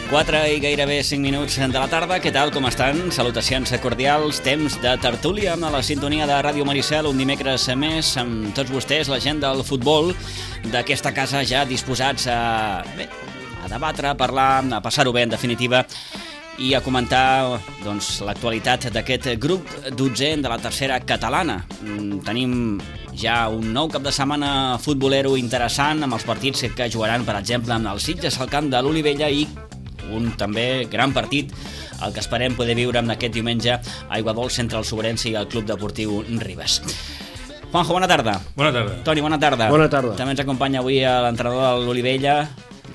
4 i gairebé 5 minuts de la tarda. Què tal, com estan? Salutacions cordials, temps de tertúlia a la sintonia de Ràdio Maricel, un dimecres més amb tots vostès, la gent del futbol d'aquesta casa, ja disposats a debatre, a parlar, a passar-ho bé, en definitiva, i a comentar l'actualitat d'aquest grup 12 de la tercera catalana. Tenim ja un nou cap de setmana futbolero interessant amb els partits que jugaran, per exemple, amb el Sitges al camp de l'Olivella i un també gran partit, el que esperem poder viure en aquest diumenge a Aiguadols entre el Sobrense i el Club Deportiu Ribes. Juanjo, bona tarda. Bona tarda. Toni, bona tarda. Bona tarda. També ens acompanya avui l'entrenador de l'Olivella,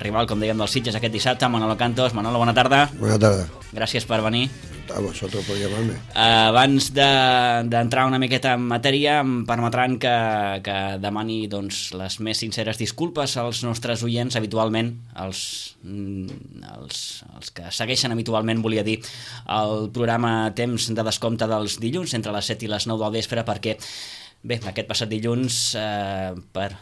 rival, com dèiem, del Sitges aquest dissabte, Manolo Cantos. Manolo, bona tarda. Bona tarda. Gràcies per venir. A vosotros por llamarme. Abans d'entrar una miqueta en matèria, em permetran que demani les més sinceres disculpes als nostres oients, habitualment, els que segueixen habitualment, volia dir, el programa Temps de Descompte dels dilluns, entre les 7 i les 9 del vespre, perquè, bé, aquest passat dilluns, per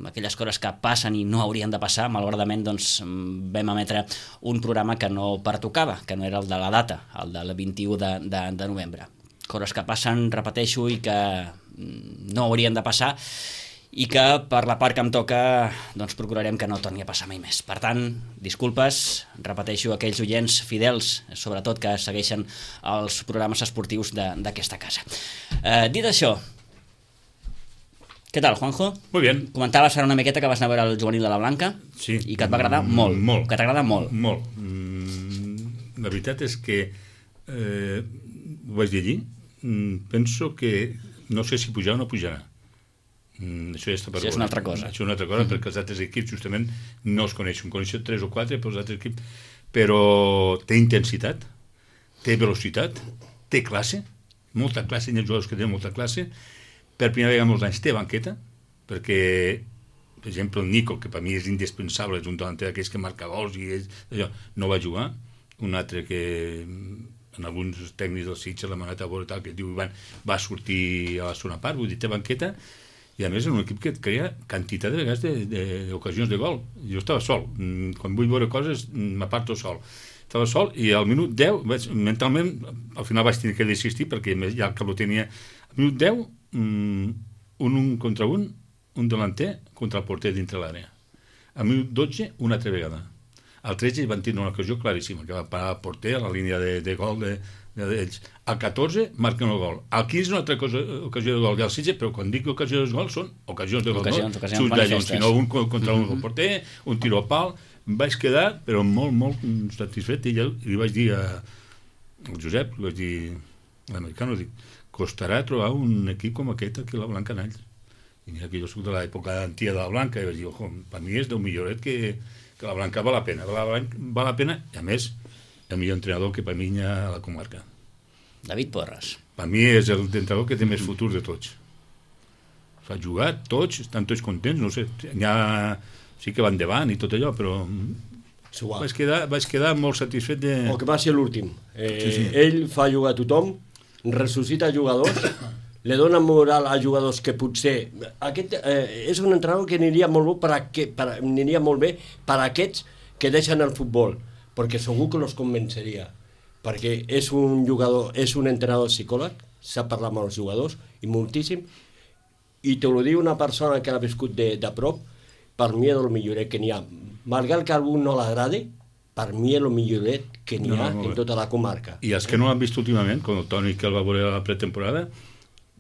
aquelles coses que passen i no haurien de passar, malauradament vam emetre un programa que no pertocava, que no era el de la data, el del 21 de novembre. Coses que passen, repeteixo, i que no haurien de passar i que per la part que em toca procurarem que no torni a passar mai més. Per tant, disculpes, repeteixo, aquells oients fidels, sobretot que segueixen els programes esportius d'aquesta casa. Dit això, què tal, Juanjo? Muy bien. Comentaves ara una miqueta que vas anar a veure el juvenil de la Blanca, sí, i que et va agradar molt. Molt. Que t'agrada molt. Molt. La veritat és que ho vaig dir allí, penso que no sé si pujarà o no pujarà. Això ja està per Això és una altra cosa. Això és una altra cosa, perquè els altres equips justament no els coneixen. Coneixen 3 o 4, però els altres equips... Però té intensitat, té velocitat, té classe, molta classe, hi ha jugadors que tenen molta classe. Per primera vegada en molts anys té banqueta, perquè, per exemple, el Nico, que per mi és indispensable, és un delanter d'aquells que marca gols i allò, no va jugar. Un altre que en alguns tècnics del Sitges l'ha manat a veure tal, que diu Ivan, va sortir a la segona part, vull dir, té banqueta, i a més és un equip que et crea quantitat de vegades d'ocasions de gol. Jo estava sol, quan vull veure coses m'aparto sol. Estava sol i al minut 10, mentalment, al final vaig tenir que desistir perquè ja que ho tenia, al minut 10, un contra un delanter contra el porter dintre l'àrea. Al minut 12, una altra vegada. Al 13 van tenir una ocasió claríssima, que va parar el porter a la línia de gol d'ells. Al 14 marquen el gol. Al 15 una altra ocasió de gol del Sitges, però quan dic ocasió de gol són ocasions de gol. Ocasions manifestes. Sinó un contra un porter, un tiro a pal. Em vaig quedar, però molt, molt satisfet, i li vaig dir al Josep, li vaig dir a l'americano, dic, costarà trobar un equip com aquest aquí a la Blanca Nalls. I mira que jo soc de l'època antiga de la Blanca, i vaig dir, ojo, per mi és del milloret que la Blanca val la pena. Val la pena, i a més, el millor entrenador que per mi hi ha a la comarca. David Porras. Per mi és l'entrenador que té més futur de tots. Fa jugar tots, estan tots contents, no sé, sí que van davant i tot allò, però vaig quedar molt satisfet de... El que va ser l'últim. Sí. Ell fa jugar a tothom, ressuscita jugadors, li dona moral a jugadors que potser... Aquest és un entrenador que aniria molt bé per a aquests que deixen el futbol, perquè segur que els convenceria, perquè és un jugador, és un entrenador psicòleg, sap parlar amb els jugadors, i moltíssim, i te ho diu una persona que l'ha viscut de prop, per mi és el milloret que n'hi ha. Malgrat que a algú no l'agradi, per mi és el milloret que n'hi ha en tota la comarca. I els que no l'han vist últimament, com el Toni, que el va veure a la pretemporada,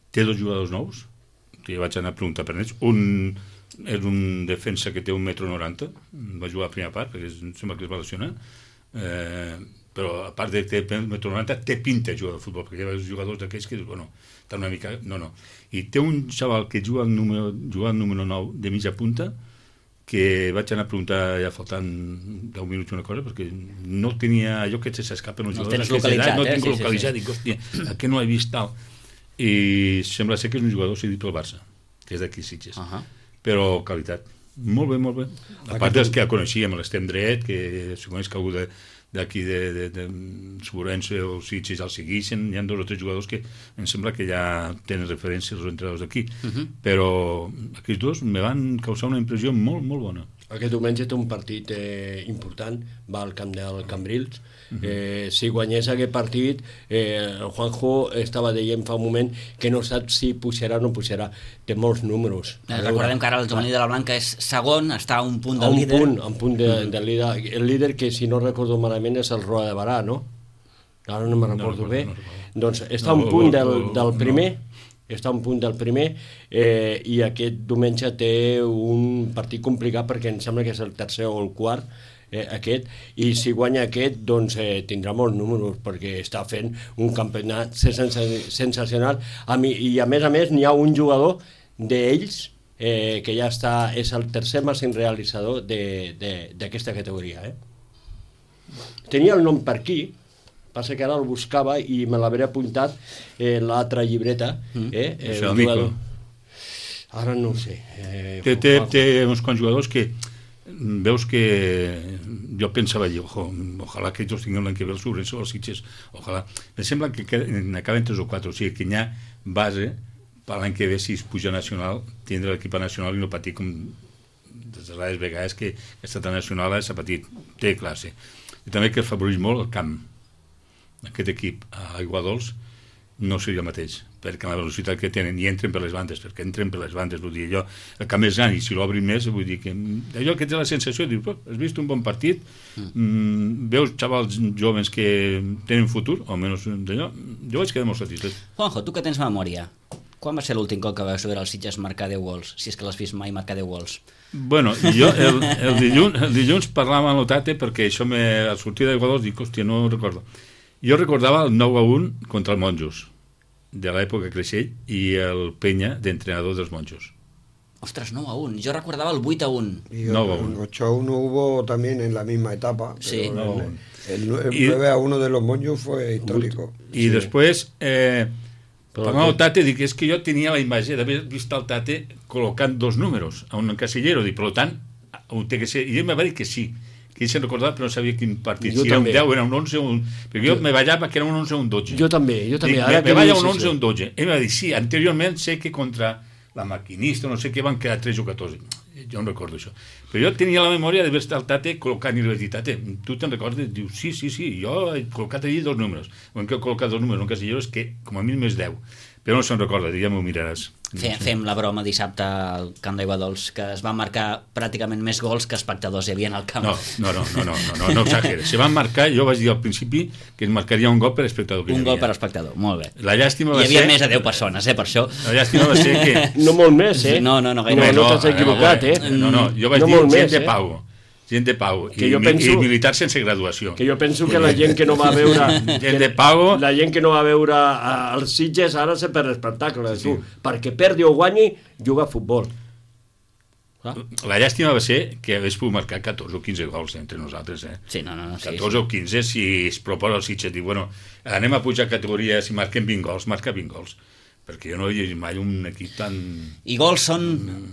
té 2 jugadors nous, que vaig anar a preguntar per ells. Un és un defensa que té 1,90 m, va jugar a la primera part, perquè sembla que es va lesionar, però a part de que té 1,90 m, té pinta de jugar de futbol, perquè hi ha jugadors d'aquells que dius, bueno, està una mica... No. I té un xaval que juga al número 9 de mitja punta, que vaig anar a preguntar ja faltant 10 minuts una cosa, perquè no tenia allò que s'escapen els jugadors. No tinc localitzat, dic, hòstia, aquest no l'he vist tal. I sembla ser que és un jugador cedit pel Barça, que és d'aquí Sitges. Però qualitat. Molt bé. A part dels que ja coneixíem, l'Estem Dret, que si coneix que algú d'aquí de Sobrense o Sitges el segueixen, hi ha 2 o 3 jugadors que em sembla que ja tenen referències els entrenadors d'aquí, però aquests 2 me van causar una impressió molt, molt bona. Aquest diumenge té un partit important, va al camp del Cambrils. Si guanyés aquest partit, el Juanjo estava dient fa un moment que no sap si pujarà o no pujarà. Té molts números. Recordem que ara el Giovanni de la Blanca és segon, està a un punt del líder. A un punt del líder. El líder, que si no recordo malament, és el Roda de Barà, no? Ara no me'n recordo bé. Doncs està a un punt del primer. Està a un punt del primer i aquest diumenge té un partit complicat perquè em sembla que és el tercer o el quart aquest, i si guanya aquest doncs tindrà molts números perquè està fent un campionat sensacional i a més n'hi ha un jugador d'ells que ja està, és el tercer màxim realitzador d'aquesta categoria. Tenia el nom per aquí, passa que ara el buscava i me l'hauré apuntat l'altra llibreta. Això, Mico. Ara no ho sé. Té uns quants jugadors que veus que jo pensava allí, ojalà que ells tinguin l'any que ve el Sobrense o els Sitges, ojalà. Me sembla que n'acaben 3 o 4, o sigui que hi ha base per l'any que ve, si es puja nacional, tindre l'equip nacional i no patir com des de les vegades que aquesta nacional s'ha patit, té classe. I també que es favoreix molt el camp. Aquest equip a Aiguadols no seria el mateix, perquè la velocitat que tenen i entren per les bandes, vull dir, allò, el camp és gran i si l'obrin més, vull dir que allò que té la sensació, dius, has vist un bon partit, veus xavals joves que tenen futur, o almenys d'allò, jo vaig quedar molt satisfet. Juanjo, tu que tens memòria, quan va ser l'últim cop que vas veure els Sitges marcar 10 gols, si és que l'has vist mai marcar 10 gols? Bueno, jo el dilluns parlava amb l'Otate perquè això al sortir d'Aiguadols dic, hòstia, no ho recordo. Jo recordava el 9-1 contra el Monjos, de l'època Creixell, i el Penya d'entrenador dels Monjos. Ostras, 9-1. Yo recordaba el 8-1. Y 8-1 hubo también en la misma etapa. Sí. El 9-1 de los Monjos fue histórico. I després, parlant del Tate, dic, és que jo tenia la imatge d'haver vist el Tate col·locant 2 números a un casillero, dic, per tant, té que ser... I ell me va dir que sí, que ell se'n recordava però no sabia quin partit, si era un 10, era un 11 o un... perquè jo me ballava que era un 11 o un 12. Jo també. Dic, me balla un 11 o un 12. Ell va dir, sí, anteriorment sé que contra la Maquinista, no sé què, van quedar 3 o 14. Jo no recordo això. Però jo tenia la memòria d'haver estat el Tate col·locant, i li vaig dir, Tate, tu te'n recordes? Diu, sí, jo he col·locat allí 2 números. O en què he col·locat 2 números en un casillero és que com a mínim és 10. Però no se'n recorda, ja m'ho miraràs. Fem la broma dissabte al camp d'Aiguadols, que es van marcar pràcticament més gols que espectadors hi havia al camp. No exageres. Se van marcar, jo vaig dir al principi que es marcaria un gol per espectador. Un gol per espectador, molt bé. La llàstima va ser... Hi havia més de 10 persones, per això. La llàstima va ser que... No molt més, No, gaire. No t'has equivocat, No, jo vaig dir gent de pau i militars sense graduació. Que jo penso que la gent que no va veure gent de pau, la gent que no va veure els Sitges ara se per espectacle, sí. Perquè perdi o guanyi juga a futbol. La llàstima va ser que hagués pogut marcar 14 o 15 gols entre nosaltres. Sí, no, 14 o 15 si es proposa el Sitges, diu, bueno, anem a pujar categoria, si marquem 20 gols, marca 20 gols. Perquè jo no he vist mai un equip tan... I gols són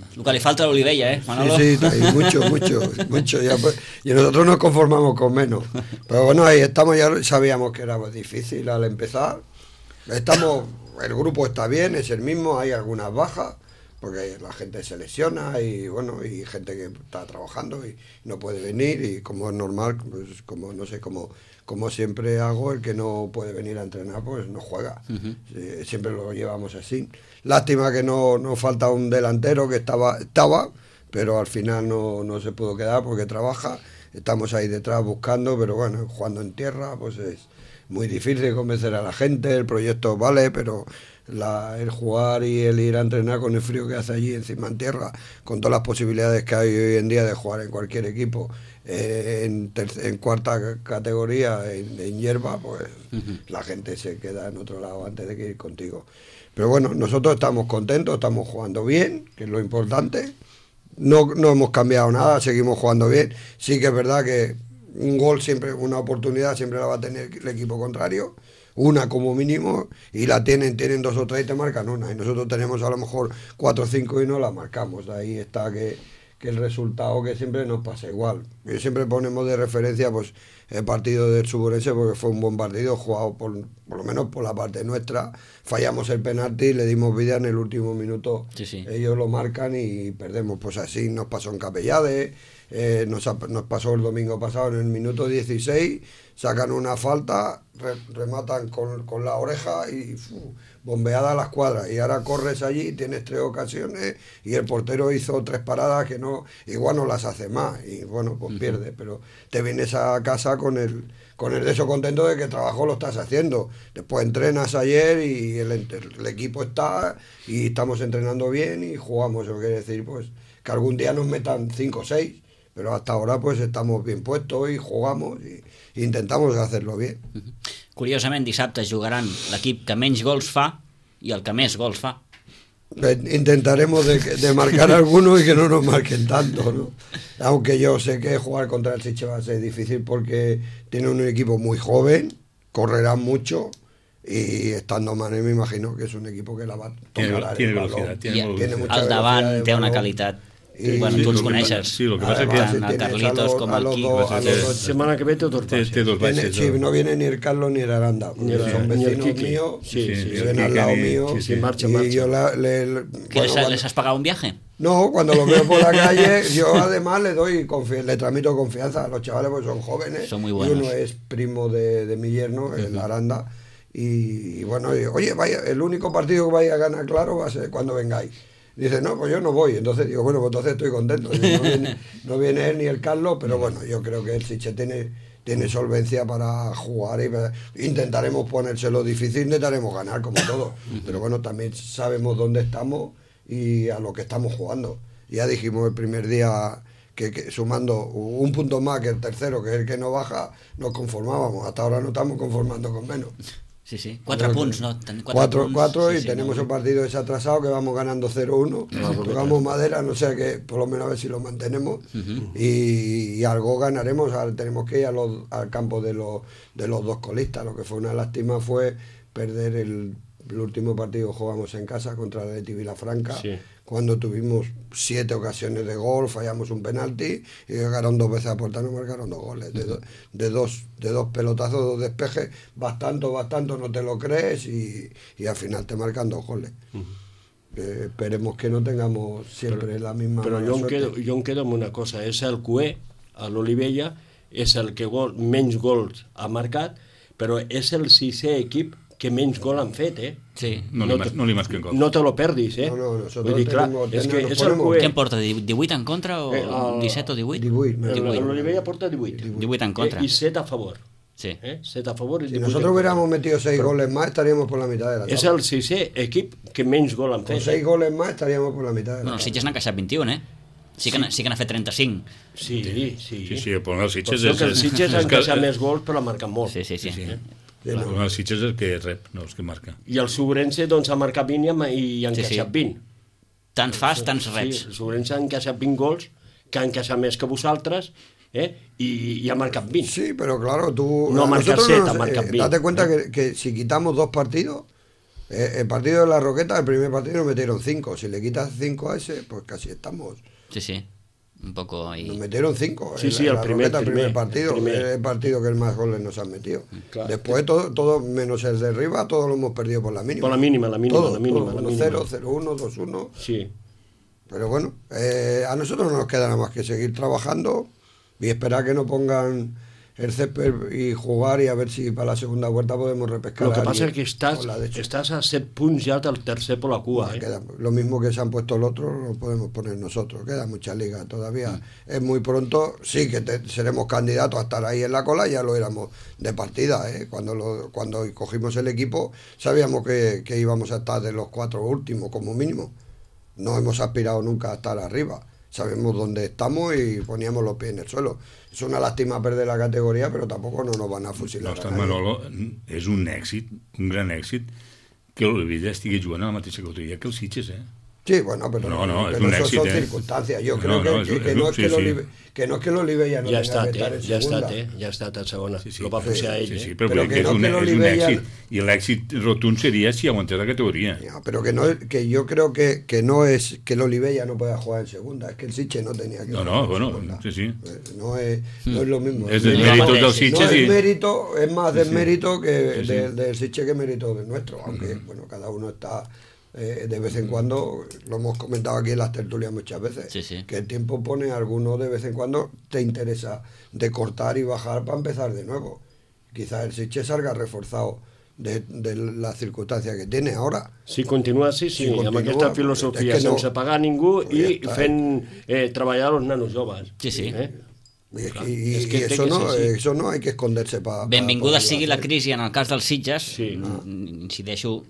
el que li falta a l'Olivella, Manolo? Sí, mucho. Ya, pues, y nosotros nos conformamos con menos. Pero bueno, ahí estamos, ya sabíamos que era difícil al empezar. El grupo está bien, es el mismo, hay algunas bajas, porque la gente se lesiona y bueno, y gente que está trabajando y no puede venir, y como es normal, pues como no sé, como siempre hago, el que no puede venir a entrenar pues no juega. Siempre lo llevamos así. Lástima que no falta un delantero que estaba, pero al final no se pudo quedar porque trabaja. Estamos ahí detrás buscando, pero bueno, jugando en tierra pues es muy difícil convencer a la gente. El proyecto vale, pero el jugar y el ir a entrenar con el frío que hace allí encima en tierra, con todas las posibilidades que hay hoy en día de jugar en cualquier equipo, en cuarta categoría, en hierba, pues la gente se queda en otro lado antes de que ir contigo. Pero bueno, nosotros estamos contentos, estamos jugando bien, que es lo importante. No hemos cambiado nada, seguimos jugando bien. Sí que es verdad que un gol siempre, una oportunidad siempre la va a tener el equipo contrario, una como mínimo, y la tienen 2 o 3 y te marcan una, y nosotros tenemos a lo mejor 4 o 5 y no la marcamos. Ahí está que el resultado que siempre nos pasa igual. Y siempre ponemos de referencia pues el partido del Suburense porque fue un buen partido jugado por lo menos por la parte nuestra. Fallamos el penalti, le dimos vida en el último minuto. Sí. Ellos lo marcan y perdemos. Pues así nos pasó en Capellade, nos pasó el domingo pasado en el minuto 16, sacan una falta, rematan con la oreja y bombeada a las cuadras, y ahora corres allí, tienes 3 ocasiones y el portero hizo 3 paradas que no, igual no las hace más y bueno, pues pierdes, pero te vienes a casa con el de eso contento de que el trabajo lo estás haciendo. Después entrenas ayer y el equipo está y estamos entrenando bien y jugamos. Eso quiere decir pues que algún día nos metan 5 o 6, pero hasta ahora pues estamos bien puestos y jugamos y intentamos hacerlo bien. Curiosament, dissabte jugaran l'equip que menys gols fa i el que més gols fa. Intentaremos de marcar algunos y que no nos marquen tanto, ¿no? Aunque yo sé que jugar contra el Sitges va a ser difícil porque tiene un equipo muy joven, correrán mucho y estando Mané me imagino que es un equipo que la va a tomar. Tiene velocidad, tiene mucha Al davant velocidad de té una balón. qualitat. I Bueno, tu els coneixes. Sí, lo que pasa es que Tant el Carlitos com el Quico. Semana que ve té dos baixes. té dos baixes. Sí, no viene ni el Carlos ni el Aranda, porque son ni el vecinos Quique. míos, Sí, viven al lado mío, sí, marcha. y yo ¿Que les has pagado un viaje? No, cuando los veo por la calle, yo además le tramito confianza a los chavales, porque son jóvenes. Son muy buenos. Y uno es primo de mi yerno, el Aranda. Y bueno, oye, vaya, el único partido que vais a ganar claro va a ser cuando vengáis. Dice, no, pues yo no voy. Entonces digo, bueno, pues entonces estoy contento. No viene él ni el Carlos, pero bueno, yo creo que el Sitges tiene solvencia para jugar y intentaremos ponérselo difícil, intentaremos ganar como todos. Pero bueno, también sabemos dónde estamos y a lo que estamos jugando. Ya dijimos el primer día que sumando un punto más que el tercero, que es el que no baja, nos conformábamos. Hasta ahora no estamos conformando con menos. Sí, sí. 4 punts, no? 4 punts. y Sí, tenemos no. el partido desatrasado que vamos ganando 0-1. Tocamos madera, no sé que por lo menos a ver si lo mantenemos. Y algo ganaremos. Ahora tenemos que ir al campo de los 2 colistas. Lo que fue una lástima fue perder el último partido que jugamos en casa contra el Athletic Vilafranca. Sí. Cuando tuvimos 7 ocasiones de gol, fallamos un penalti y llegaron 2 veces a puerta, nos marcaron 2 goles. De dos pelotazos, 2 despejes, bastante, no te lo crees y al final te marcan 2 goles. Esperemos que no tengamos siempre la misma Però mala jo suerte. em quedo amb una cosa, és el Cué, a l'Olivella, és el que menys gols ha marcat, però és el 6è equip que menys gol han fet, Sí. No li masquen gols. No te lo perdis, No, nosotros Vull dir, clar, tenemos- és que nos és el ponemos- Cué. Què em porta? 18 en contra o 17 o 18? 18. L'Olivella porta 18. 18 en contra. I 7 a favor. Sí. 7 a favor i Si 18 nosotros en contra. hubiéramos metido 6 goles más, estaríamos por la mitad de la És tabla. el 6è equip que menys gol han Con fet. 6 goles más estaríamos por la mitad de la Bueno, el tabla. Sitges n'ha encaixat 21, Sí que n'ha fet 35. Sí. Sí, el problema del Sitges Potser que el Sitges ha és que encaixat més gols però ha marcat molt. Sí. el problema del Sitges és el que rep, no els que marca. I el Sobrense doncs ha marcat 20 i ha encaixat 20. Tants fas, tants reps. Sí, el Sobrense ha encaixat 20 gols, que ha encaixat més que vosaltres, i ha marcat 20. Sí, pero claro, tú... No a marca nosotros 7, marca 20. Date cuenta que si quitamos 2 partidos, el partido de la Roqueta, el primer partido nos metieron 5. Si le quitas 5 a ese, pues casi estamos... Sí. Un poco ahí. Nos metieron 5. Sí, el primer partido. el primer. Es el partido que más goles nos han metido. Claro. Después, todo menos el de arriba, todos lo hemos perdido por la mínima. Por la mínima. Todo, 1-0, 0-1, 2-1. Sí. Pero bueno, a nosotros no nos queda nada más que seguir trabajando y esperar que no pongan el césped y jugar y a ver si para la segunda vuelta podemos repescar. Lo que a pasa alguien es que con la de hecho. estás a 7 punts ja del tercer por la cua. Lo mismo que se han puesto el otro lo podemos poner nosotros. Queda mucha liga todavía. Es muy pronto. Sí que seremos candidatos a estar ahí en la cola. Ya lo éramos de partida. Cuando cogimos el equipo sabíamos que íbamos a estar de los 4 últimos como mínimo. No hemos aspirado nunca a estar arriba. Sabemos dónde estamos y poníamos los pies en el suelo. Es una lástima perder la categoría, però tampoc no nos van a fusilar. No, ostres, Manolo, és un èxit, un gran èxit, que l'Olivella estigui jugant a la mateixa categoria que el Sitges, Sí, bueno, pero No, pero es un eso éxito, son circunstancias. Yo creo No, que no es que el Olivella no Ja ha tenga estat, que estar en ja ha segunda. estat, ja ha estat a segona. Sí, Lo va pujar ell, sí, però Però que que és no, un que l'Olivella- èxit. I l'èxit rotund seria si aguantés la categoria. Ya, pero que yo creo que no es que el Olivella no pueda jugar en segunda, es que el Sitges no tenía que No, jugar en bueno, segunda. sí. No es lo mismo. És del No, mèrit no, del no, Sitges No i... es mérito, es más del mérito que Sí. del Sitges que mérito del nuestro, aunque bueno, cada uno está de vez en cuando, lo hemos comentado aquí en las tertulias muchas veces, Sí. que el tiempo pone alguno de vez en cuando te interesa de cortar y bajar para empezar de nuevo. Quizás el Sitges salga reforzado de las circunstancias que tiene ahora. Si continua així, sí, amb aquesta filosofia, sense pagar ningú i fent treballar els nanos joves. Sí. Y eso no hay que esconderse para... Benvinguda sigui la crisi en el cas dels Sitges, incideixo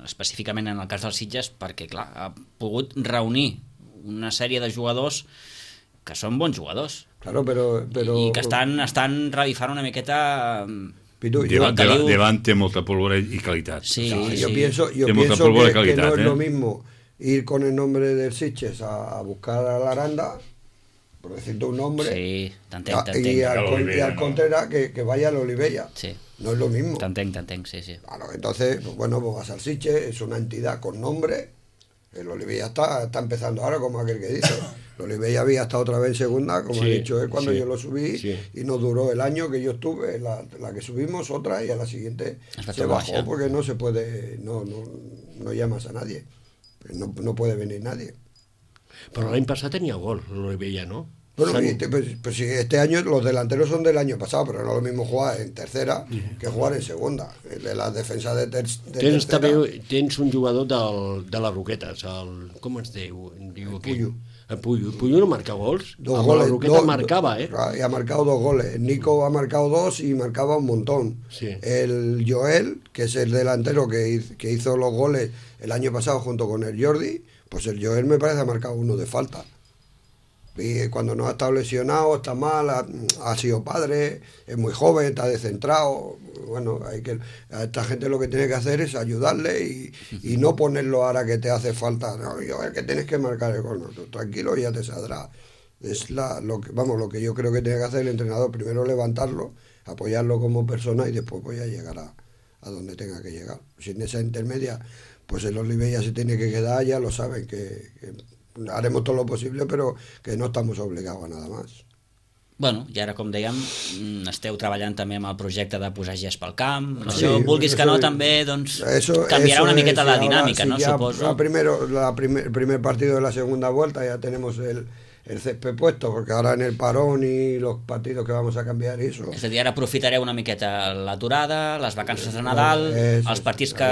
específicament en el cas dels Sitges, perquè clar, ha pogut reunir una sèrie de jugadors que són bons jugadors. Claro, pero i que estan revifant una miqueta... Davant té molta pólvora i qualitat. Sí. Yo pienso que no es lo mismo ir con el nombre del Sitges a buscar a la Aranda, por decirte un nombre, sí, t'entenc. y al Contreras que vaya al Olivella. Sí. No es lo mismo. T'entenc, sí. Claro, entonces, pues vas al Sitges, es una entidad con nombre. El Olivella está empezando ahora, como aquel que dice. El Olivella había estado otra vez en segunda, como ha dicho él, cuando yo lo subí, y nos duró el año que yo estuve, la que subimos otra, y a la siguiente se bajó, porque no se puede, no llamas a nadie. No puede venir nadie. Però l'any passat tenia gol, l'Olivella, ¿no? Bueno, pues sí, este año los delanteros son del año pasado, pero no es lo mismo jugar en tercera que jugar en segunda. De las defensas de tercera... Tens un jugador de les Roquetes, com es diu? El Puyo no marca gols. Dos goles. La Roqueta marcaba, ¿eh? Y ha marcado 2 goles. Nico ha marcado 2 y marcaba un montón. Sí. El Joel, que es el delantero que hizo los goles el año pasado junto con el Jordi, pues el Joel me parece ha marcado 1 de falta. Y cuando no ha estado lesionado, está mal, ha sido padre, es muy joven, está descentrado. Bueno, a esta gente lo que tiene que hacer es ayudarle y no ponerlo ahora que te hace falta. No, es que tienes que marcar el gol. No, tú, tranquilo, ya te saldrá. Es lo que yo creo que tiene que hacer el entrenador. Primero levantarlo, apoyarlo como persona y después voy a llegar a donde tenga que llegar. Si en esa intermedia, pues el Olivella se tiene que quedar, ya lo saben que haremos todo lo posible, però que no estamos obligados a nada más. Bueno, i ara, com dèiem, esteu treballant també amb el projecte de posar gest pel camp. Això, vulguis que no, també doncs, canviarà una miqueta la dinàmica, ¿no? Suposo. El primer partido de la segunda vuelta ya tenemos el césped puesto, porque ahora en el parón y los partidos que vamos a cambiar y eso. És a dir, ara aprofitareu una miqueta l'aturada, les vacances de Nadal, els partits que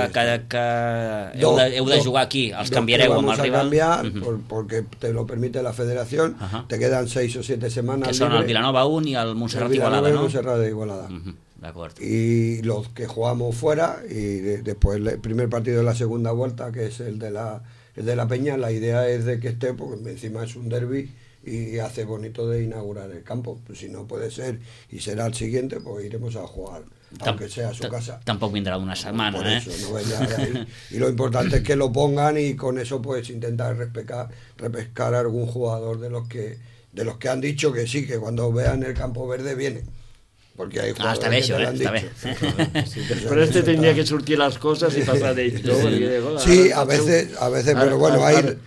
heu de jugar aquí, els canviareu amb el rival. Vamos a cambiar porque te lo permite la federación, te quedan 6 o 7 semanas. Que són el Vilanova 1 i el Montserrat Igualada, ¿no? Montserrat Igualada. De acuerdo. Y los que jugamos fuera, y después el primer partido de la segunda vuelta, que es el de la Peña, la idea es de que esté, porque encima es un derbi y hace bonito de inaugurar el campo. Pues si no puede ser y será el siguiente, pues iremos a jugar, aunque sea a su casa. Tampoc vindrà d'una setmana, por eso, no vendrá de ahí. Y lo importante es que lo pongan y con eso pues intentar repescar a algún jugador de los que han dicho que sí, que cuando vean el campo verde viene. Porque hay jugadores està bé, que te lo han està bé. dicho. Però tendría que surtir las cosas y pasar de ello. Sí, a veces, pero bueno,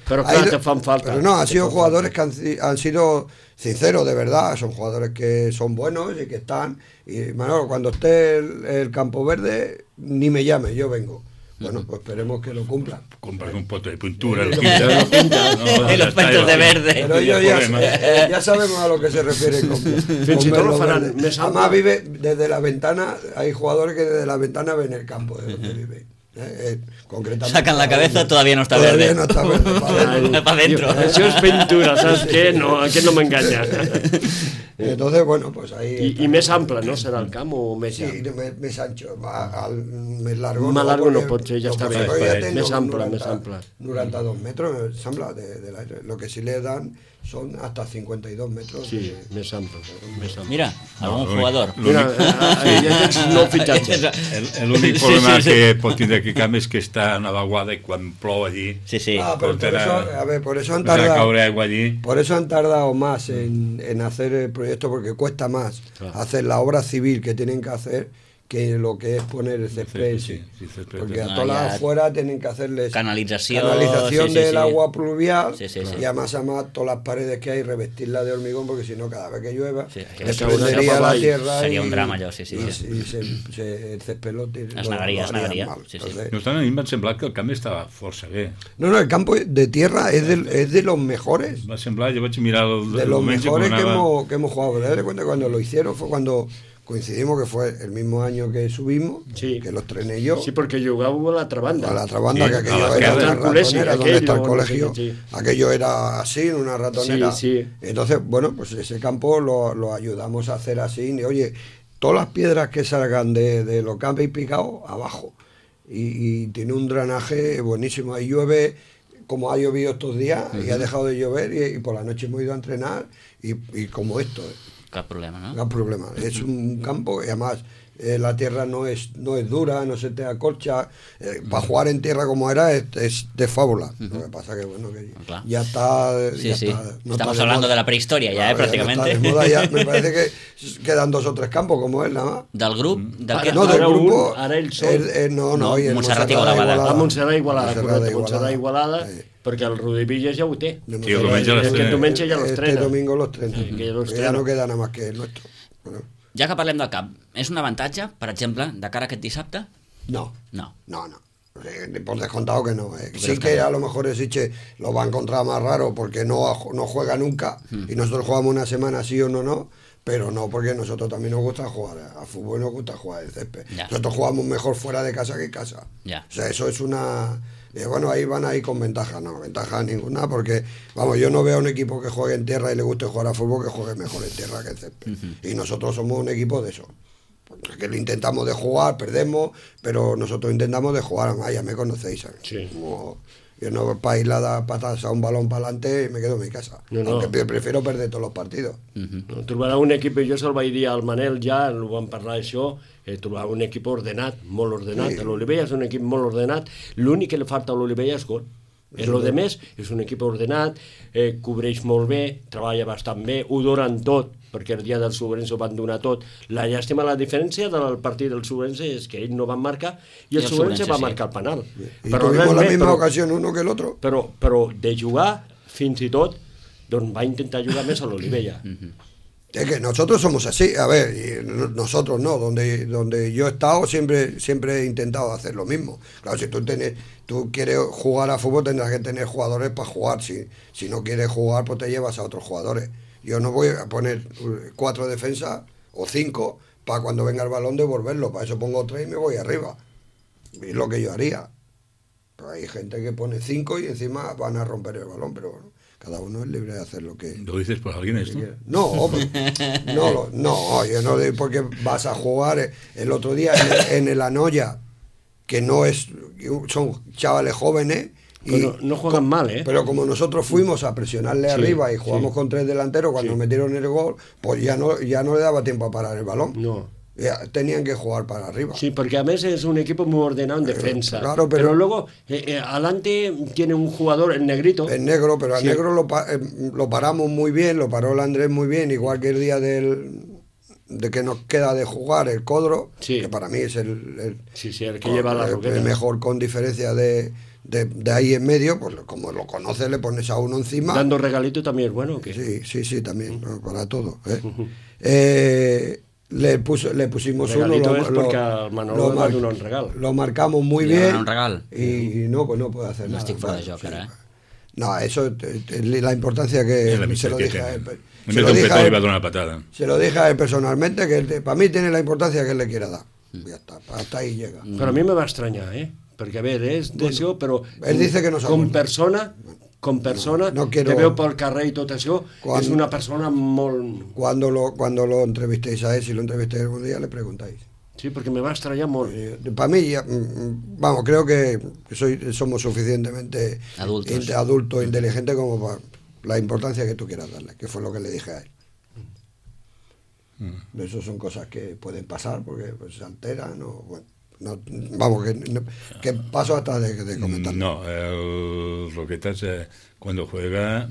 pero claro, te fan falta. Pero no, han sido jugadores que han sido sinceros, de verdad, son jugadores que son buenos y que están. Y Manolo, cuando esté el campo verde, ni me llame, yo vengo. Bueno, pues esperemos que lo cumplan. Compras un pote de pintura, y los pintos de verde. Pero ellos ya sabemos a lo que se refiere con verlo verde. Además vive desde la ventana, hay jugadores que desde la ventana ven el campo de donde vive. Concretamente, sacan la cabeza, todavía no está verde. No está verde, para adentro. Eso es pintura, ¿sabes qué? No, aquí no me engaña. Entonces, bueno, pues ahí... I més ample, no? Serà el camp o més llarg? Sí, més ancho. Més largo más largo no pot ser, ja està bé. Més ample, més ample. 92 metros, sembla, del aire. Lo que sí le dan son hasta 52 metros. Sí, més ample. Mira, algun jugador. Mira, ja tens nou fitxatge. L'únic problema que pot tindre aquest camp és que està a una vaguada i quan plou allí... Sí. Por eso han tardado más en hacer el proyecto, porque cuesta más hacer la obra civil que tienen que hacer que lo que es poner el césped. Sí, césped. Porque a No, todas ya- las afuera tienen que hacerles Canalització, canalización sí, del sí. agua pluvial Sí, sí. y además todas las paredes que hay revestirlas de hormigón, porque si no cada vez que llueva Sí, les caure prendería cap la avall. tierra Seria y, un drama, allò, sí. el césped lo Es negaria, lo harían negaria, mal. sí. Entonces, No obstant, a mi em va semblar que el camp estava força bé. no, el campo de tierra es de los mejores. Em va semblar, jo vaig mirar el De los diumenge mejores quan anava... que hemos jugado. Date cuenta que cuando lo hicieron fue cuando coincidimos, que fue el mismo año que subimos, Sí. que los trené yo. Sí, porque jugàveu a l'altra banda. A la otra banda, Sí, que a aquello la era izquierda. una El colegio, ratonera, donde aquello, está el no sé colegio. qué, sí. Aquello era así, una ratonera. Sí, sí. Entonces, bueno, pues ese campo lo ayudamos a hacer así. Y, oye, todas las piedras que salgan de lo que habéis picado, abajo. Y tiene un drenaje buenísimo. Ahí llueve, como ha llovido estos días, y ha dejado de llover, y por la noche hemos ido a entrenar, y como esto. Cap problema, no? No hay problema. Es un campo y además la tierra no es dura, no se te acolcha. Para jugar en tierra como era es de fábula. Lo que pasa que bueno, que Claro. ya está. Sí, ya sí. está, no Estamos está hablando moda. de la prehistoria ya, Claro, prácticamente. Ya no está de moda ya. Me parece que quedan 2 o 3 campos como él nada más. Del grup, del Ara- que... No, del Ara grupo. ara ells són- No, y el Montserrat Igualada. A Montserrat Igualada, correcte, Montserrat Montserrat Igualada, Sí. perquè el Rudi Villas ja ho té. De Sí, el diumenge Aquest l'estrena. diumenge ja Este l'estrena. domingo los trenes. Sí, que ya los Ya estrena. no queda nada más que el nuestro. Bueno, Ja que parlem del camp, és un avantatge, per exemple, de cara a aquest dissabte? no. No. No. Por descontado que no. Sí crees que que no? a lo mejor Esiche lo va a encontrar más raro porque no juega nunca y nosotros jugamos una semana sí o no, pero no porque nosotros también nos gusta jugar a fútbol, nos gusta jugar el césped. Ya. Nosotros jugamos mejor fuera de casa que en casa. Ya. O sea, eso es una... bueno, ahí van ahí con ventaja, no, ventaja ninguna, porque, vamos, yo no veo a un equipo que juegue en tierra y le guste jugar a fútbol que juegue mejor en tierra que en césped. Y nosotros somos un equipo de eso. Que lo intentamos de jugar, perdemos, pero nosotros intentamos de jugar. Además, ya me conocéis, ¿sabes? Sí. Como yo no para ir a dar patas a un balón para adelante y me quedo en mi casa. No, no. Aunque prefiero perder todos los partidos. No, trobarà un equip, jo se'l vaig dir al Manel ja, ho vam parlar d'això, trobar un equip ordenat, molt ordenat. Sí. L'Olivella és un equip molt ordenat, l'únic que li falta a l'Olivella és gol. El de més és un equip ordenat, cobreix molt bé, treballa bastant bé, ho donen tot, perquè el dia del Sobrense ho van donar tot. La llàstima, la diferència del partit del Sobrense és que ell no van marcar i el Sobrense va sí. marcar el penal. Y tuvimos res la més, misma ocasión uno que el otro. però de jugar, fins i tot, doncs va intentar jugar més a l'Olivella. Es que nosotros somos así, a ver, y nosotros no, donde yo he estado siempre he intentado hacer lo mismo. Claro, si tú quieres jugar a fútbol tendrás que tener jugadores para jugar, si no quieres jugar pues te llevas a otros jugadores. Yo no voy a poner 4 defensas o 5 para cuando venga el balón devolverlo, para eso pongo 3 y me voy arriba. Es lo que yo haría. Pero hay gente que pone 5 y encima van a romper el balón, pero bueno, cada uno es libre de hacer lo que... ¿Lo dices por alguien esto? No, no, yo no digo porque vas a jugar el otro día en el Anoya, que no es, son chavales jóvenes. Pero no juegan mal, ¿eh? Pero como nosotros fuimos a presionarle Sí, arriba y jugamos sí. con 3 delanteros, cuando Sí. metieron el gol, pues ya no le daba tiempo a parar el balón. No. Ya tenían que jugar para arriba. Sí, porque a veces es un equipo muy ordenado en defensa. claro, pero pero luego, adelante tiene un jugador, el negrito. El negro, pero al Sí. negro lo paramos muy bien, lo paró el Andrés muy bien, igual que el día de que nos queda de jugar el Codro, Sí. que para mí es el Sí, el que lleva la roqueta. el mejor con diferencia de ahí en medio, pues como lo conoces le pones a uno encima. Dando regalito también es bueno, ¿o qué? Sí, también, no, para todo. Le pusimos Regalito uno, es porque al Manolo le va a donar un regal. lo marcamos muy Li va bien donar un regal. y no, pues no puede hacer No nada. estic fora de ¿sabes? joc, ara, eh? No, eso es la importancia que Es la se amistad lo que dije a tiene. él. En Se vez lo de un dije a petón él- le va a dar una patada. se lo dije a él personalmente, que para mí tiene la importancia que él le quiera dar. Ya está, hasta ahí llega. Però a mi me va estranyar, Perquè, a veure, és d'això, però... Él dice que no com s'aguanta. persona, No quiero- que veu pel carrer i tot això, Quan- és una persona molt... Cuando lo entrevistéis a él, si lo entrevistéis algún día, le preguntáis. Sí, perquè me va estranyar molt. Para mí, vamos, creo que somos suficientemente Adultos. adultos, inteligentes como para la importancia que tú quieras darle, que fue lo que le dije a él. Eso son cosas que pueden pasar porque pues, se alteran o bueno. No, vamos, que paso hasta de comentar. No, el Roquetas cuando juega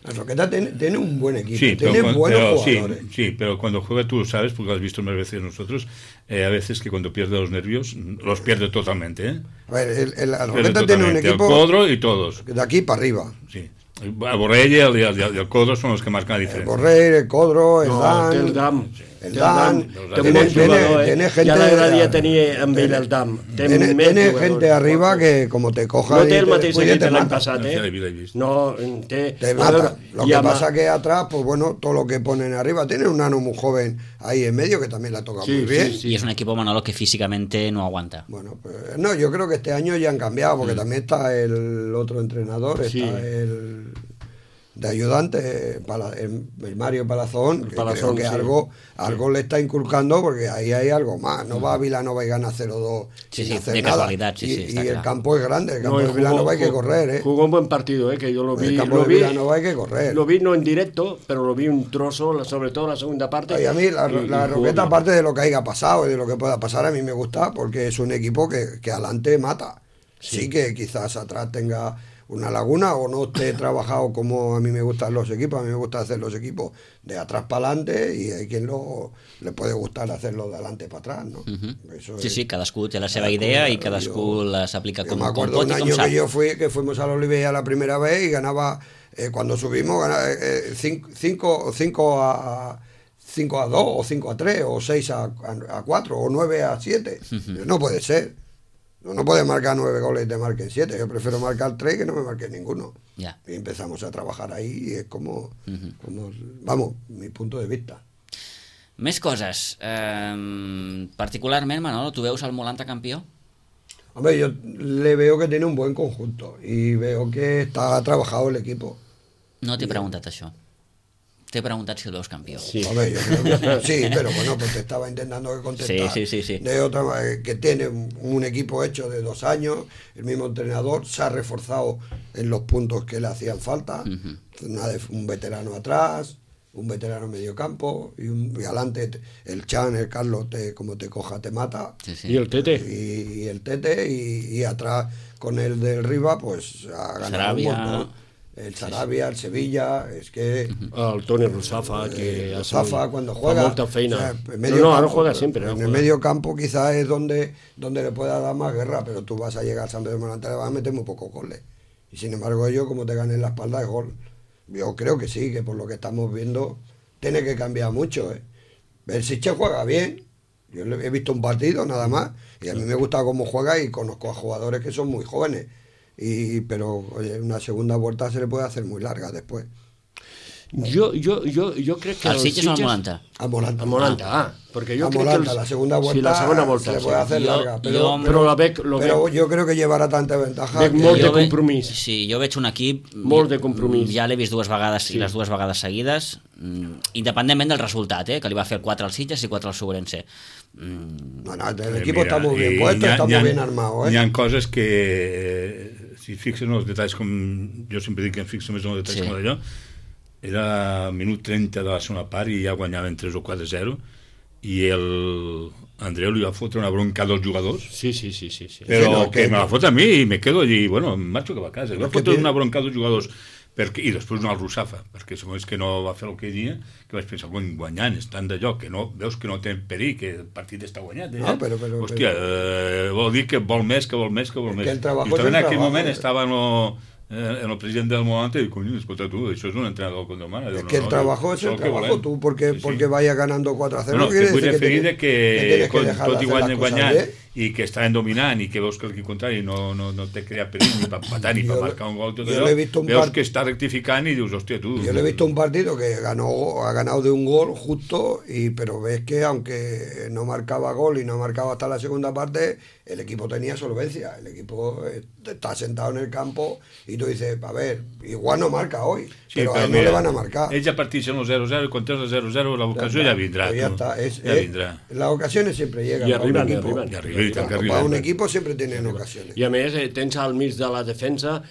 La Roqueta tiene un buen equipo, Sí, tiene buenos jugadores. Sí, pero cuando juega tú lo sabes, porque lo has visto más veces nosotros, a veces que cuando pierde los nervios, los pierde totalmente, ¿eh? A ver, la Pierde Roqueta tiene un totalmente. equipo El Codro y todos, de aquí para arriba. sí. El Borrell y el Codro son los que marcan la El diferencia. Borrell, el Codro, el No, Dan... té el Dam. el Dan, Té un bon jugador, tiene gente... Ja l'agradaria tenir amb ell el Dam. Tiene gente arriba que como te coja No té y el te mateix descuide, equip te de l'any mata. passat, Ja l'he eh? vist. No, té... Te mata. Lo que pasa que atrás, pues bueno, todo lo que ponen arriba. Tiene un nano muy joven ahí en medio que también la toca Sí, muy bien. sí, Y es un equipo, Manolo, que físicamente no aguanta. Bueno, pues, no, yo creo que este año ya han cambiado, porque también está el otro entrenador, Sí. está el de ayudante, el Mario Palazón, que Palazón, creo que sí. algo le está inculcando, porque ahí hay algo más. No va a Vilanova y gana 0-2 Sí, sin sí, hacer de nada. casualidad, sí, sí, y está el claro. campo es grande, el campo No, de Vilanova hay que correr, ¿eh? Jugó un buen partido, que yo lo vi. El campo Lo de vi, Vilanova hay que correr. lo vi no en directo, pero lo vi un trozo, sobre todo la segunda parte. Y a mí la y jugó Roqueta, bien. aparte de lo que haya pasado y de lo que pueda pasar, a mí me gusta porque es un equipo que adelante mata. Sí que quizás atrás tenga una laguna o no esté trabajado como a mí me gustan los equipos. A mí me gusta hacer los equipos de atrás para adelante y hay quien le puede gustar hacerlo de adelante para atrás, ¿no? Eso Sí, es- sí, cadascú té la seva idea i cadascú les aplica Yo com, me com acuerdo pot un i com año sap. que fuimos a la Oliveira la primera vez y ganaba, cuando subimos, ganaba 5 a 2 o 5 a 3 o 6 a 4 o 9 a 7. No puede ser. No puedes marcar 9 goles y te marquen 7. Yo prefiero marcar 3 que no me marquen ninguno. Ja. Y empezamos a trabajar ahí y es vamos, mi punto de vista. Més coses. Particularment, Manolo, tu veus el Molanta campió? Hombre, yo le veo que tiene un buen conjunto y veo que está trabajado el equipo. No t'he preguntat això. T'he preguntat si el veus campió. Sí. Hombre, yo creo que sí, pero bueno, pues te estaba intentando que contestar. Sí. De otra manera, que tiene un equipo hecho de 2 años, el mismo entrenador se ha reforzado en los puntos que le hacían falta, un veterano atrás, un veterano en medio campo y adelante el Chan, el Carlos, como te coja te mata. Sí, sí. Y el Tete. Y el Tete y atrás con el del Riva pues ha ganado Sarabia. un montón. El Sarabia, el Sevilla, es que El Toni Rusafa, que Zafa cuando fa juega, molta feina. o sea, en No, medio ahora campo, juega siempre. en ahora el juega. medio campo quizás es donde le pueda dar más guerra, pero tú vas a llegar a San Pedro de Molanta, le vas a meter muy pocos goles. Y sin embargo ellos, como te ganen la espalda, es gol. Yo creo que sí, que por lo que estamos viendo tiene que cambiar mucho. El Siche juega bien, yo he visto un partido nada más y a mí me gusta cómo juega y conozco a jugadores que son muy jóvenes. Pero oye, una segunda vuelta se le puede hacer muy larga después. Jo crec que El Sitges o el Molanta? A Molanta. A Molanta, perquè jo A crec Molanta, que la segunda vuelta, sí, la segona volta se le sí. puede hacer Yo- larga, yo- Però la veig, pero yo creo que llevará tanta ventaja Veig que- molt de Jo compromís. Sí, jo veig un equip... Molt de compromís. Ja l'he vist 2 vegades Sí. i les 2 vegades seguides, independentment del resultat, que li va fer el 4 al Sitges i 4 al Sobrense. Bueno, el equipo Mira, está muy bien y puesto, está n'hi ha- muy bien armado, Hi ¿eh? ha coses que, si et fixes en els detalls, com jo sempre dic que em fixo més en els detalls Sí. com allò, era minut 30 de la segona part i ja guanyaven 3 o 4-0 i el Andreu li va fotre una bronca als jugadors, Sí. però Sí, no, que que- me la fot a mi i me quedo allí, bueno, em marxo cap a casa. Li va que fotre té- una bronca als jugadors i després una al Russafa, perquè segons que no va fer el que dia, que vaig pensar, guanyant, estan d'allò, que no, veus que no té perill, que el partit està guanyat. No, però- Hòstia, vol dir que vol més, que vol més. que el trabajo Justament és el en aquell trabajo, moment eh? estava en el president del Molanta i dic, coño, escolta tu, això és un entrenador com demana. Es que el trabajo es el trabajo, tú porque vayas ganando 4-0 No, no que quiere vull decir que referir tienes que tienes que dejar de tot i hacer las cosas guanyant bien. i que estaven dominant i que veus que l'equip contrari no te crea perill ni per matar ni per Jo- marcar un gol, tot jo allò, l'he vist un veus part- que està rectificant i dius, hòstia, tu... Yo le he visto un partido que ha ganado de un gol justo, pero ves que aunque no marcaba gol y no marcaba hasta la segunda parte, el equipo tenía solvencia, el equipo está sentado en el campo y tú dices, a ver, igual no marca hoy, pero a él no mira, le van a marcar. Ells ja partixen el 0-0 i quan tens el 0-0 la vocació ja vindrà. Pues ya tu. está, Ja vindrà. las ocasiones siempre llegan. Y para un arriban, y equipo. arriban. I arriba, i tant que Para un arriba. equipo siempre tienen ocasiones. I a més, tens al mig de la defensa,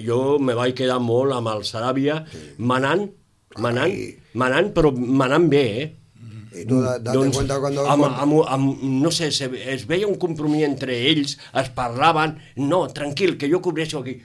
jo me vaig quedar molt amb el Saràbia, manant, però manant bé, Y tú date cuenta cuando... no sé, es veia un compromís entre ells, es parlaven, no, tranquil, que jo cobreixo aquí.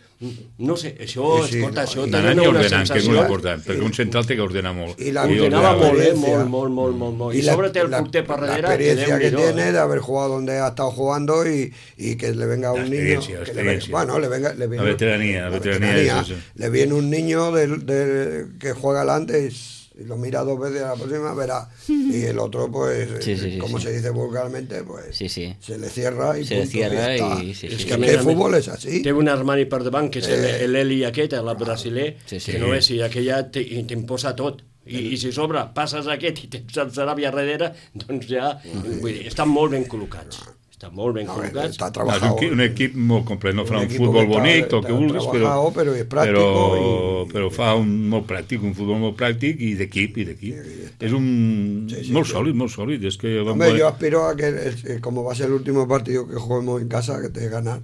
No sé, això, Sí, escolta, no, això i tenia D'anar-hi una ordenant, que és molt sensació... important, perquè un central té que ordenar molt. I la- Ordenava la molt, experiencia. molt. I sobre té el porter per darrere, la experiencia que Déu-n'hi-do, tiene de haber jugado donde ha estado jugando y que le venga un niño... experiencia, que experiencia. bueno, le viene La veteranía, eso. Le viene un niño que juega delante y lo mira 2 veces a la próxima, verá. Y el otro, pues, Sí, como sí. se dice vulgarmente, pues Sí. se le cierra y Se le punto, cierra ya está. y sí, Es sí. que A més el a més, fútbol es así. Té un armari per davant, que és l'Eli aquest, el brasiler, Sí, sí. que no és, i aquella t'imposa tot. I si sobre passes aquest i tens el Sarabia darrere, doncs ja... Vull dir, estan molt ben col·locats. Estan molt ben No, col·locats. está És trabajado. un equip molt complet, no fa un equipo futbol que bonic, está el que vulguis, trabajado, pero es práctico però fa un molt pràctic, un futbol molt pràctic i d'equip. És un... molt sòlid, és que... Hombre, yo aspiro a que, como va a ser el último partido que juguemos en casa, que te de ganar.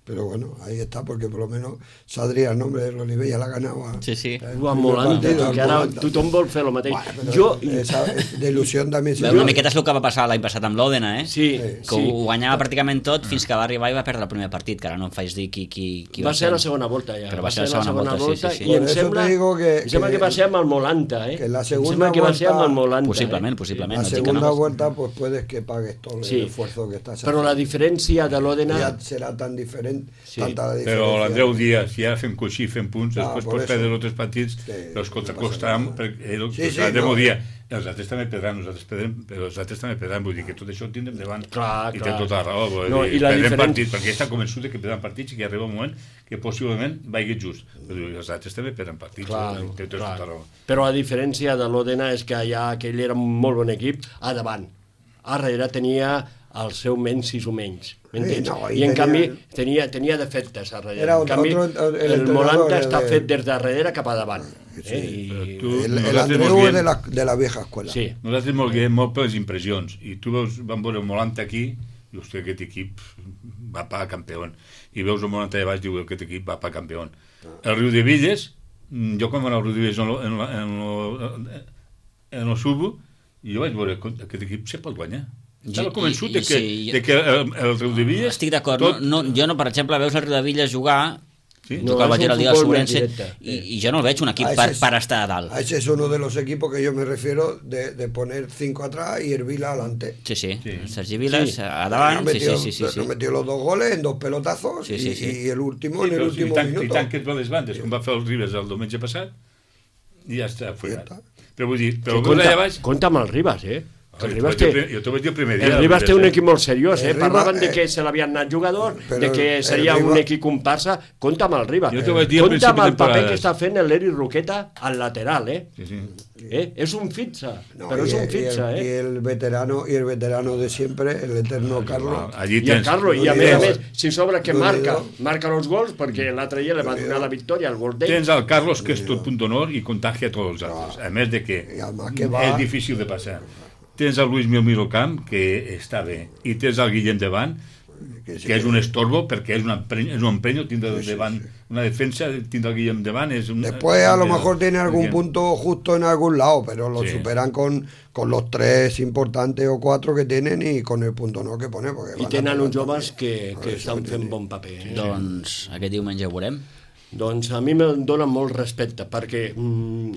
Pero bueno, ahí está, porque por lo menos saldría el nombre de Olivella, la ganaba. Sí. Amb Molanda, que ara tothom vol fer el mateix. Jo... Esa de ilusión también se Una miqueta és el que va passar l'any passat amb l'Òdena, Sí, que ho guanyava pràcticament tot fins que va arribar i va perdre el primer partit, que ara no em faig dir qui Va ser la segona volta, ja. Però va ser la segona volta, sí. I Por em eso sembla, te digo em sembla que va ser amb el Molanta, que la Em segunda sembla que va ser amb el Molanta. Possiblement. La no dic que segunda no. vuelta, pues puedes que pagues todo el Sí. esfuerzo que estás Però la diferència de l'Òdena... Ya será tan diferente, Sí. tanta la diferencia. Però l'Andreu Díaz, si ara fem coixí, fem punts, després por pots eso. perdre els altres partits, Sí, els no contracostarem, passa nada. perquè Sí, l'Andreu no. Díaz, els altres també perdran, nosaltres perdrem, però els altres també perdran, vull dir que tot això ho tindrem davant. Clar, I clar. té tota la raó, vull No, dir, i la perdrem diferència- partits, perquè està convençut de que perdran partits i que arriba un moment que possiblement vagi just. Però els altres també perdran partits, té tota la raó. Però a diferència de l'Òdena és que allà aquell era un molt bon equip a davant. A darrere tenia el seu menys o menys. M'entens? no, I en canvi tenia defectes a darrere. Era En canvi, el el entrenador Molanta era està de- fet des de darrere cap a davant. Però tu, El nosaltres Andreu mos es guiem- de la vieja escuela. Sí. Nosaltres molt guiem molt per les impressions. I tu veus, vam veure el Molanta aquí, i hòstia, aquest equip va pa campió. I veus el Molanta de baix, diu, aquest equip va pa campió. El Riu de Villes, jo quan vaig anar al Riu de Villes en el Subo, jo vaig veure que aquest equip se pot guanyar. Estava convençut de que el Riu de Villes... Estic d'acord. Jo no, per exemple, veus el Riu de Villes jugar... Sí? No, que el és vaig un al dia del futbol més Sobrense directe. i jo no el veig un equip per estar a dalt. Ese es uno de los equipos que yo me refiero de poner 5 atrás y el Vila adelante. Sí. Sergi Vilas Sí. a davant, Nos sí. metió los 2 goles en 2 pelotazos Sí. y el último Sí, en el però último i minuto. tant que et va les bandes, com va fer el Ribes el diumenge passat, i ja està, Ja fuera. està. Però vull dir, però Compte, allà baix... compte amb el Ribas, Que el Ribas Jo t'ho vaig dir el primer dia. El Ribas té un equip molt seriós, El Ribas, Parlaven de que se l'havien anat jugadors, però de que el seria un Ribas- equip comparsa. Compte amb el Ribas. Jo t'ho vaig dir al Compte principi amb el de paper temporada. que està fent l'Eri Roqueta al lateral, Sí. És un fixa, No, però és un fixa, y el veterano de siempre, el eterno Carlos. Allí I el tens... Carlos, i a Dolido. més, si sobra que Dolido. marca els gols, perquè l'altre dia li va donar la victòria, el gol d'ell. Tens al Carlos, que és tot punt d'honor, i contagia a tots els altres. A més de que Y además que va... és difícil de passar. Tens el Luis Mil Camp, que està bé, i tens el Guillem Davant, que és un estorbo, perquè és un empenyo tindre davant una defensa, tindre el Guillem Davant és un... Después a lo mejor tiene algún punto justo en algún lado, pero lo Sí. superan con los 3 importantes o 4 que tienen y con el punto no que pone. Porque I van a tenen pegar uns joves también. que estan fent bon paper. Doncs aquest diumenge ho veurem. Doncs a mi em dona molt respecte, perquè,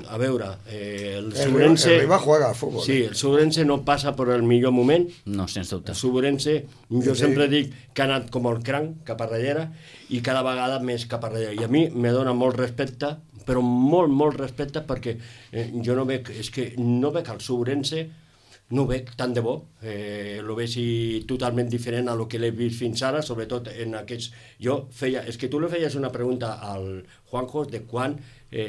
a veure, el El Sobrense... Rivas juega al fútbol. Sí, el Sobrense no passa per el millor moment. No, sens dubte. El Sobrense, jo Sí. sempre dic que ha anat com el cranc cap a darrere i cada vegada més cap a darrere. I a mi me dona molt respecte, però molt respecte, perquè jo no veig, és que no veig el Sobrense, no ho veig tant de bo, lo veig totalment diferent a lo que l'he vist fins ara, sobretot en aquests... És que tu li feies una pregunta al Juanjo de quan,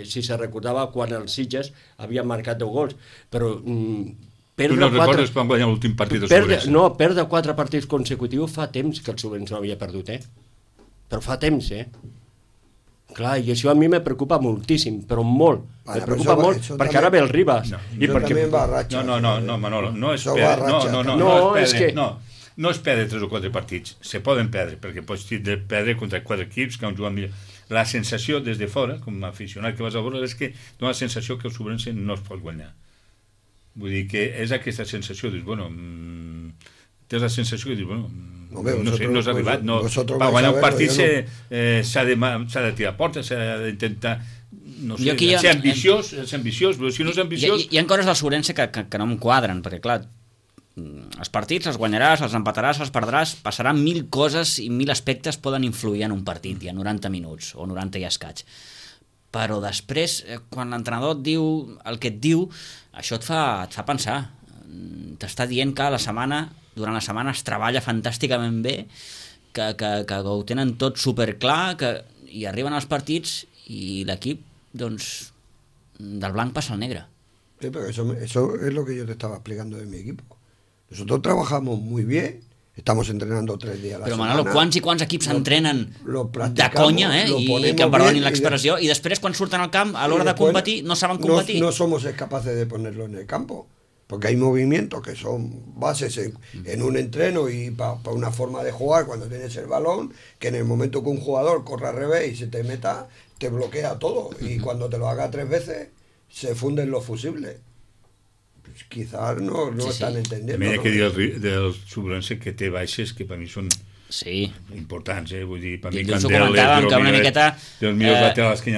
si se recordava quan els Sitges havien marcat 10 gols, però Tu no recordes quan guanyar l'últim partit del Sobrense? No, perdre 4 partits consecutius fa temps que el Sobrense no havia perdut, Però fa temps, Clar, i això a mi me preocupa moltíssim, però molt. Vale, Me preocupa però molt, això perquè també- ara ve el Ribas. No, I Yo perquè... también va a racha. No, Manolo, no és Això perdre, va ratxa. No, és que- no és perdre 3 o 4 partits, se poden perdre, perquè pots perdre contra 4 equips que han jugat millor. La sensació des de fora, com a aficionat que vas a veure, és que dona la sensació que el Sobrense no es pot guanyar. Vull dir que és aquesta sensació, dius, bueno, tens la sensació que dius, bueno, no s'ha arribat, no. Per guanyar un partit s'ha de tirar portes, s'ha d'intentar, no sé, ser ambiciós, però si no és ambiciós... Hi ha coses del Sobrense que no em quadren, perquè clar, els partits els guanyaràs, els empataràs, els perdràs, passaran 1000 coses i 1000 aspectes poden influir en un partit, i a 90 minuts, o 90 i escaig. Però després, quan l'entrenador et diu el que et diu, això et fa pensar. T'està dient que durant la setmana es treballa fantàsticament bé, que ho tenen tot superclar, i arriben els partits i l'equip, doncs, del blanc passa al negre. Sí, pero eso es lo que yo te estaba explicando de mi equipo. Nosotros trabajamos muy bien, estamos entrenando 3 días a la semana. Però Manolo, quants i quants equips s'entrenen de conya, i que em perdonin l'expressió, i després quan surten al camp, a l'hora de competir, no saben competir? No somos capaces de ponerlo en el campo, porque hay movimientos que son bases en un entreno y para una forma de jugar cuando tienes el balón, que en el momento que un jugador corra al revés y se te meta, te bloquea todo, y cuando te lo haga 3 veces, se funden los fusibles. Quizás no estan entendiendo. També hi ha que dir del Sobrense que té baixes que per mi són importants, vull dir, per mi Candel que una miqueta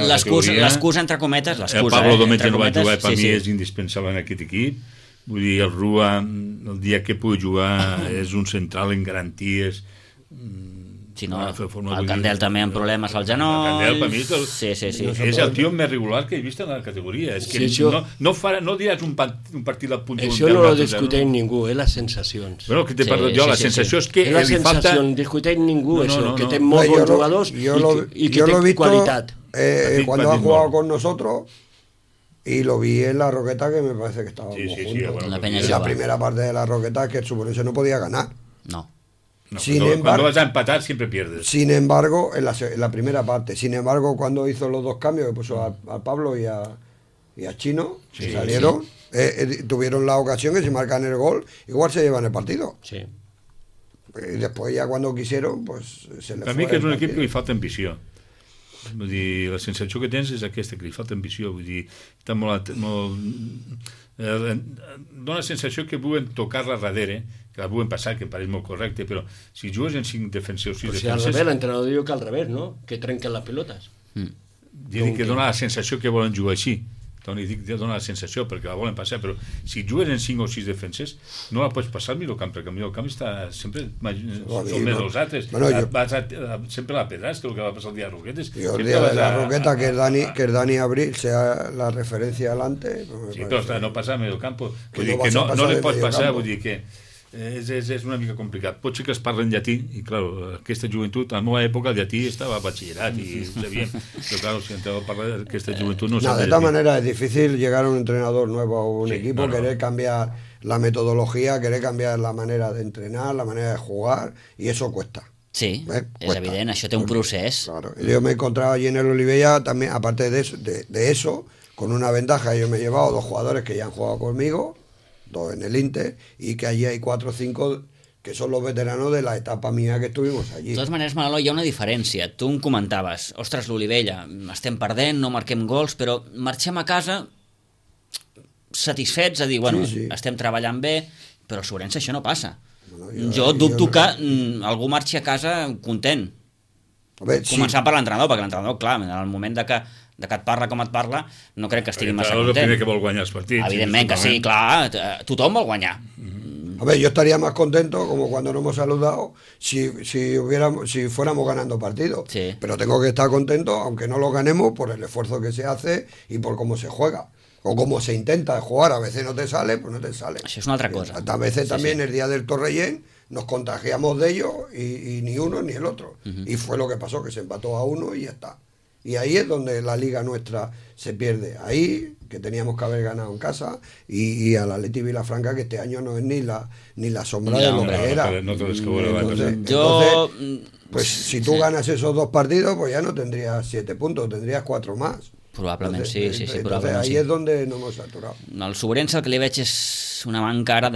l'excusa entre cometes, el Pablo Domènech no va jugar, per mi és indispensable en aquest equip, vull dir, el Rua el dia que pugui jugar és un central en garanties. Si no, el Candel també amb problemes al genoll. El Candel, per mi, és el tio més regular que he vist en la categoria. És que no diràs un partit al punt. Això no lo discuteix ningú, les sensacions. Bueno, que te parlo jo, la sensació és que la sensació, no discuteix ningú eso, que té molts bons jugadors y que té qualitat. Cuando ha jugado con nosotros, y lo vi en la Roqueta, que me parece que estábamos juntos. En la primera parte de la Roqueta, que el Sobrense no podía ganar. No. Cuando vas a empatar siempre pierdes. Sin embargo, en la primera parte, cuando hizo los 2 cambios, que puso a Pablo y a Chino, que salieron, tuvieron la ocasión que si marcan el gol, igual se llevan el partido. Sí. Y después ya cuando quisieron, pues se les fue. Per mi que és un equip que li falta ambició. Vull dir, la sensació que tens és aquesta, que li falta ambició. Vull dir, està molt dona la sensació que volen tocar-la darrere, que la volen passar, que pareix molt correcte, però si jugues en 5 defensors, 6 defensors... Al revés, l'entrenador diu que al revés, no? Que trenquen les pilotes. Dic que dona la sensació que volen jugar així. Dic que dona la sensació perquè la volen passar, però si jugues en 5 o 6 defenses no la pots passar al millor camp, perquè el millor camp està sempre són més els altres, sempre la pedràs, que el que va passar el dia de Roquetes. El dia de la Roqueta, que el Dani Abril sea la referencia adelante. Sí, però no passa al millor camp, vull dir que no li pots passar, vull dir que és una mica complicat. Pot ser que es parlen llatí, i clar, aquesta joventut, a la meva època el llatí estava a batxillerat i ho sabíem, però clar, si entreu a parlar d'aquesta joventut no de todas maneras es difícil llegar a un entrenador nuevo a un equipo, querer cambiar la metodología, querer cambiar la manera de entrenar, la manera de jugar, y eso cuesta. Sí, és evident, això té un procés. Claro, yo me he encontrado allí en el Olivella también, aparte de eso, con una ventaja, yo me he llevado 2 jugadores que ya han jugado conmigo, 2 en el Inter, y que allí hay 4 o 5 que són los veteranos de la etapa mía que estuvimos allí. De totes maneres, Manolo, hi ha una diferència. Tu em comentaves, ostres, l'Olivella, estem perdent, no marquem gols, però marxem a casa satisfets, a dir, bueno, estem treballant bé, però a Sobrense això no passa. Jo dubto que algú marxi a casa content. Començant per l'entrenador, perquè l'entrenador, clar, en el moment de que et parla com et parla, no crec que estigui massa content. És el primer que vol guanyar els partits. Evidentment que sí, clar, tothom vol guanyar. A ver, yo estaría más contento, como cuando nos hemos saludado, si fuéramos ganando partidos. Sí. Pero tengo que estar contento, aunque no lo ganemos, por el esfuerzo que se hace y por cómo se juega. O cómo se intenta jugar. A veces no te sale, pues no te sale. Això és una altra cosa. A veces también el día del Torrellén nos contagiamos de ellos y ni uno ni el otro. Y fue lo que pasó, que se empató a 1 y ya está. Y ahí es donde la liga nuestra se pierde. Ahí, que teníamos que haber ganado en casa, y al Atleti Vilafranca, que este año no es ni la sombra de lo que era. Entonces, pues si tú ganas esos 2 partidos, pues ya no tendrías 7 puntos, tendrías 4 más. Probablement sí, entonces, probablement ahí sí. es donde no hemos saturado. El Sobrense el que li veig és una manca ara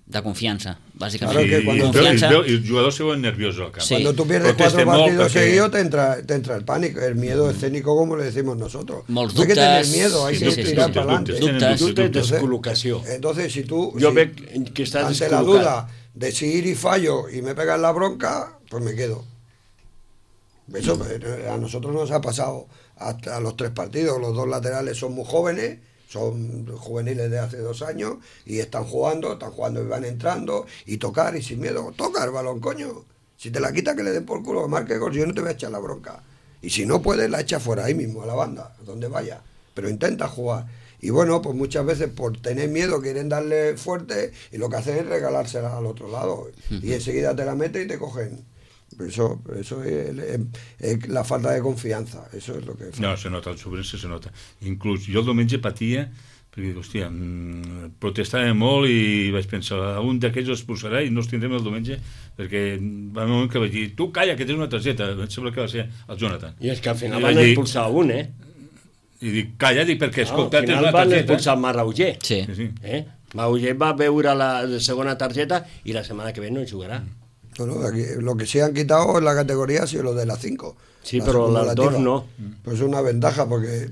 De confiança, bàsicament. Claro que cuando- Confiança. Y los jugadores se vuelven nerviosos al campo. Sí. Cuando tú pierdes Proteste 4 molt partidos perquè- seguidos te entra el pánico, el miedo escénico como le decimos nosotros. Molts No hay que tener dubtes. miedo, hay Sí, que sí, sí, tirar dubtes, para adelante. dubtes. Dubtes. Dubtes, Entonces- descol·locació. Entonces, si tú Jo si- veig que estàs ante la descol·locat. duda de si ir y fallo y me pegan la bronca, pues me quedo. Eso a nosotros nos ha pasado hasta los 3 partidos. Los 2 laterales son muy jóvenes, son juveniles de hace 2 años y están jugando y van entrando y tocar y sin miedo. Toca el balón, coño. Si te la quita, que le den por culo, que marque gol, yo no te voy a echar la bronca. Y si no puedes, la echa fuera ahí mismo, a la banda, donde vaya. Pero intenta jugar. Y bueno, pues muchas veces por tener miedo quieren darle fuerte y lo que hacen es regalársela al otro lado. Y enseguida te la meten y te cogen. Eso es la falta de confianza. Eso es lo que... No, se nota, el sobrense se nota. Inclús jo el diumenge patia, perquè dic, hòstia, protestava molt i vaig pensar, un d'aquells els expulsarà i no els tindrem el diumenge, perquè va un moment que vaig dir, tu calla, que tens una targeta. Em sembla que va ser el Jonathan. I és que al final I van vaig dir- expulsar un, I dic, calla, dic, perquè Al escolta, tens final una van targeta. expulsar Marrauger. Sí. Sí, sí. Marrauger va veure la segona targeta i la setmana que ve no jugarà. No, aquí, lo que sí han quitado en la categoría ha sido lo de las 5. Sí, pero las acumulativa. 2 no. Pues es una ventaja porque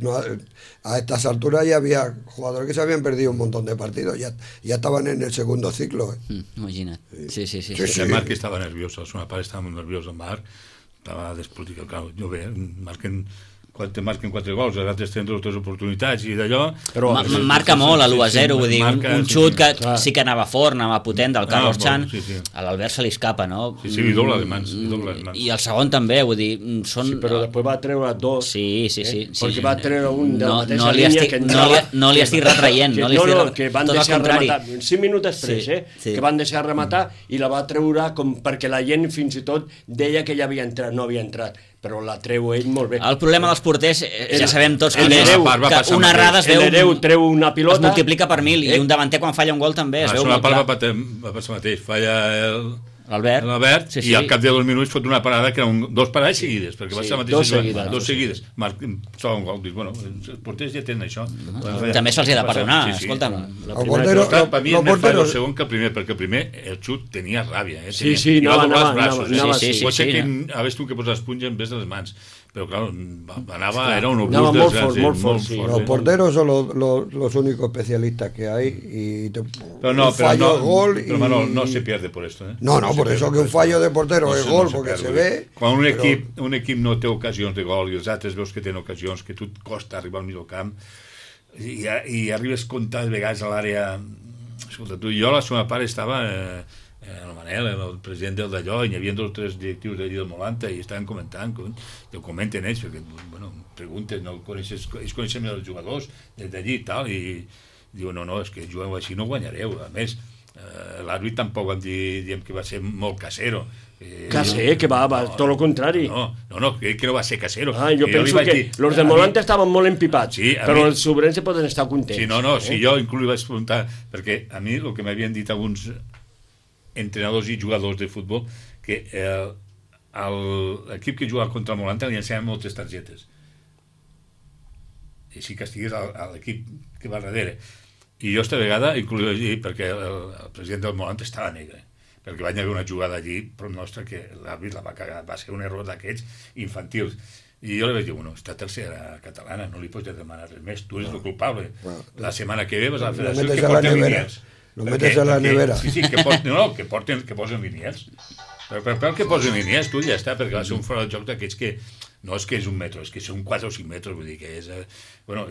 a estas alturas ya había jugadores que se habían perdido un montón de partidos, ya estaban en el segundo ciclo. Imagina't. Sí. Sí, sí. El Marc estava nerviós, el seu pare estava molt nerviós, el Marc estava despoliticat, clar, jo bé, quan te marquen 4 gols, els altres tenen 2 oportunitats i d'allò... Però Marca molt a l'1-0, vull dir, un xut que clar. sí que anava fort, anava potent del Carlos Chan, sí, sí. a l'Albert se li escapa, no? Sí, li dobla les mans, li dobla les mans. I el segon també, vull dir, són... Sí, però després va treure 2. Sí. Perquè va treure un de la mateixa no li línia estic, que no li estic retraient, no li estic que van tot al deixar contrari. rematar 5 minuts després, Sí. que van deixar rematar i la va treure com perquè la gent fins i tot deia que ja havia entrat, no havia entrat, però la treu ell molt bé. El problema dels porters, ja sabem tots el quin és, Hereu va que passar una amb errada es L'Hereu treu una es pilota... multiplica per 1000 i un davanter quan falla un gol també es A veu la molt part clar. va passar mateix, falla L'Albert, sí, i al cap de 2 minuts fot una parada que eren 2 parades seguides, perquè va Sí, ser la mateixa jugada, dos seguides. Troba un gol, dic, bueno, els porters ja tenen això. També se'ls hi ha de perdonar, Sí, sí. escolta'm. Los porteros, Per mi és los més fàcil el porteros, segon que el primer, perquè el primer el xut tenia ràbia. Sí, Tenia, sí, i va doblar els anava, braços. anava, sí, Pot ser sí. que hagués tu que posar espunja en vez de les mans, però clar, era un Anava obús molt desgràcies, fort, molt fort, sí. los porteros son los únicos especialistas que hay y Pero no, un fallo es gol pero y... Manol, no se pierde por esto. No, por se eso pierde que un por fallo esto. de portero No es se- gol, no se porque pierde. se ve... Quan però- un equip no té ocasions de gol i els altres veus que tenen ocasions, que tu et costa arribar al mig del camp i arribes comptant vegades a l'àrea... Escolta, tu i jo, la seva part estava... el Manel, el president del d'allò, i hi havia 2 o 3 directius d'allí del Molanta i estaven comentant, que ho comenten ells, perquè, bueno, preguntes, no coneixes, ells coneixen els jugadors des d'allí i tal, i diuen, no, és que jugueu així no guanyareu. A més, l'àrbit tampoc vam dir, diem que va ser molt casero. Caser, que va, tot el contrari. No, crec que no va ser casero. Jo penso que los de Molanta estaven molt empipats, Sí, però mi- els sobrense poden estar contents. Sí, si jo inclús vaig preguntar, perquè a mi el que m'havien dit alguns entrenadors i jugadors de futbol, que l'equip que jugava contra el Molanta li ensenyaven moltes targetes. I si castigués a l'equip que va darrere. I jo esta vegada, inclús allí, perquè el president del Molanta estava negre, perquè va haver una jugada allí, però nostra, que l'àrbit la va cagar, va ser un error d'aquests infantils. I jo li vaig dir, bueno, esta tercera catalana, no li pots demanar res més, tu eres el culpable. La setmana que ve vas a la federació metes que a la porten nevera. línies. Lo metes a la nevera. Sí, que posen línies. Però que posen línies, tu ja està, perquè va ser un fora de joc d'aquests que no és que és 1 metre, és que són 4 o 5 metres, vull dir que és... Bueno,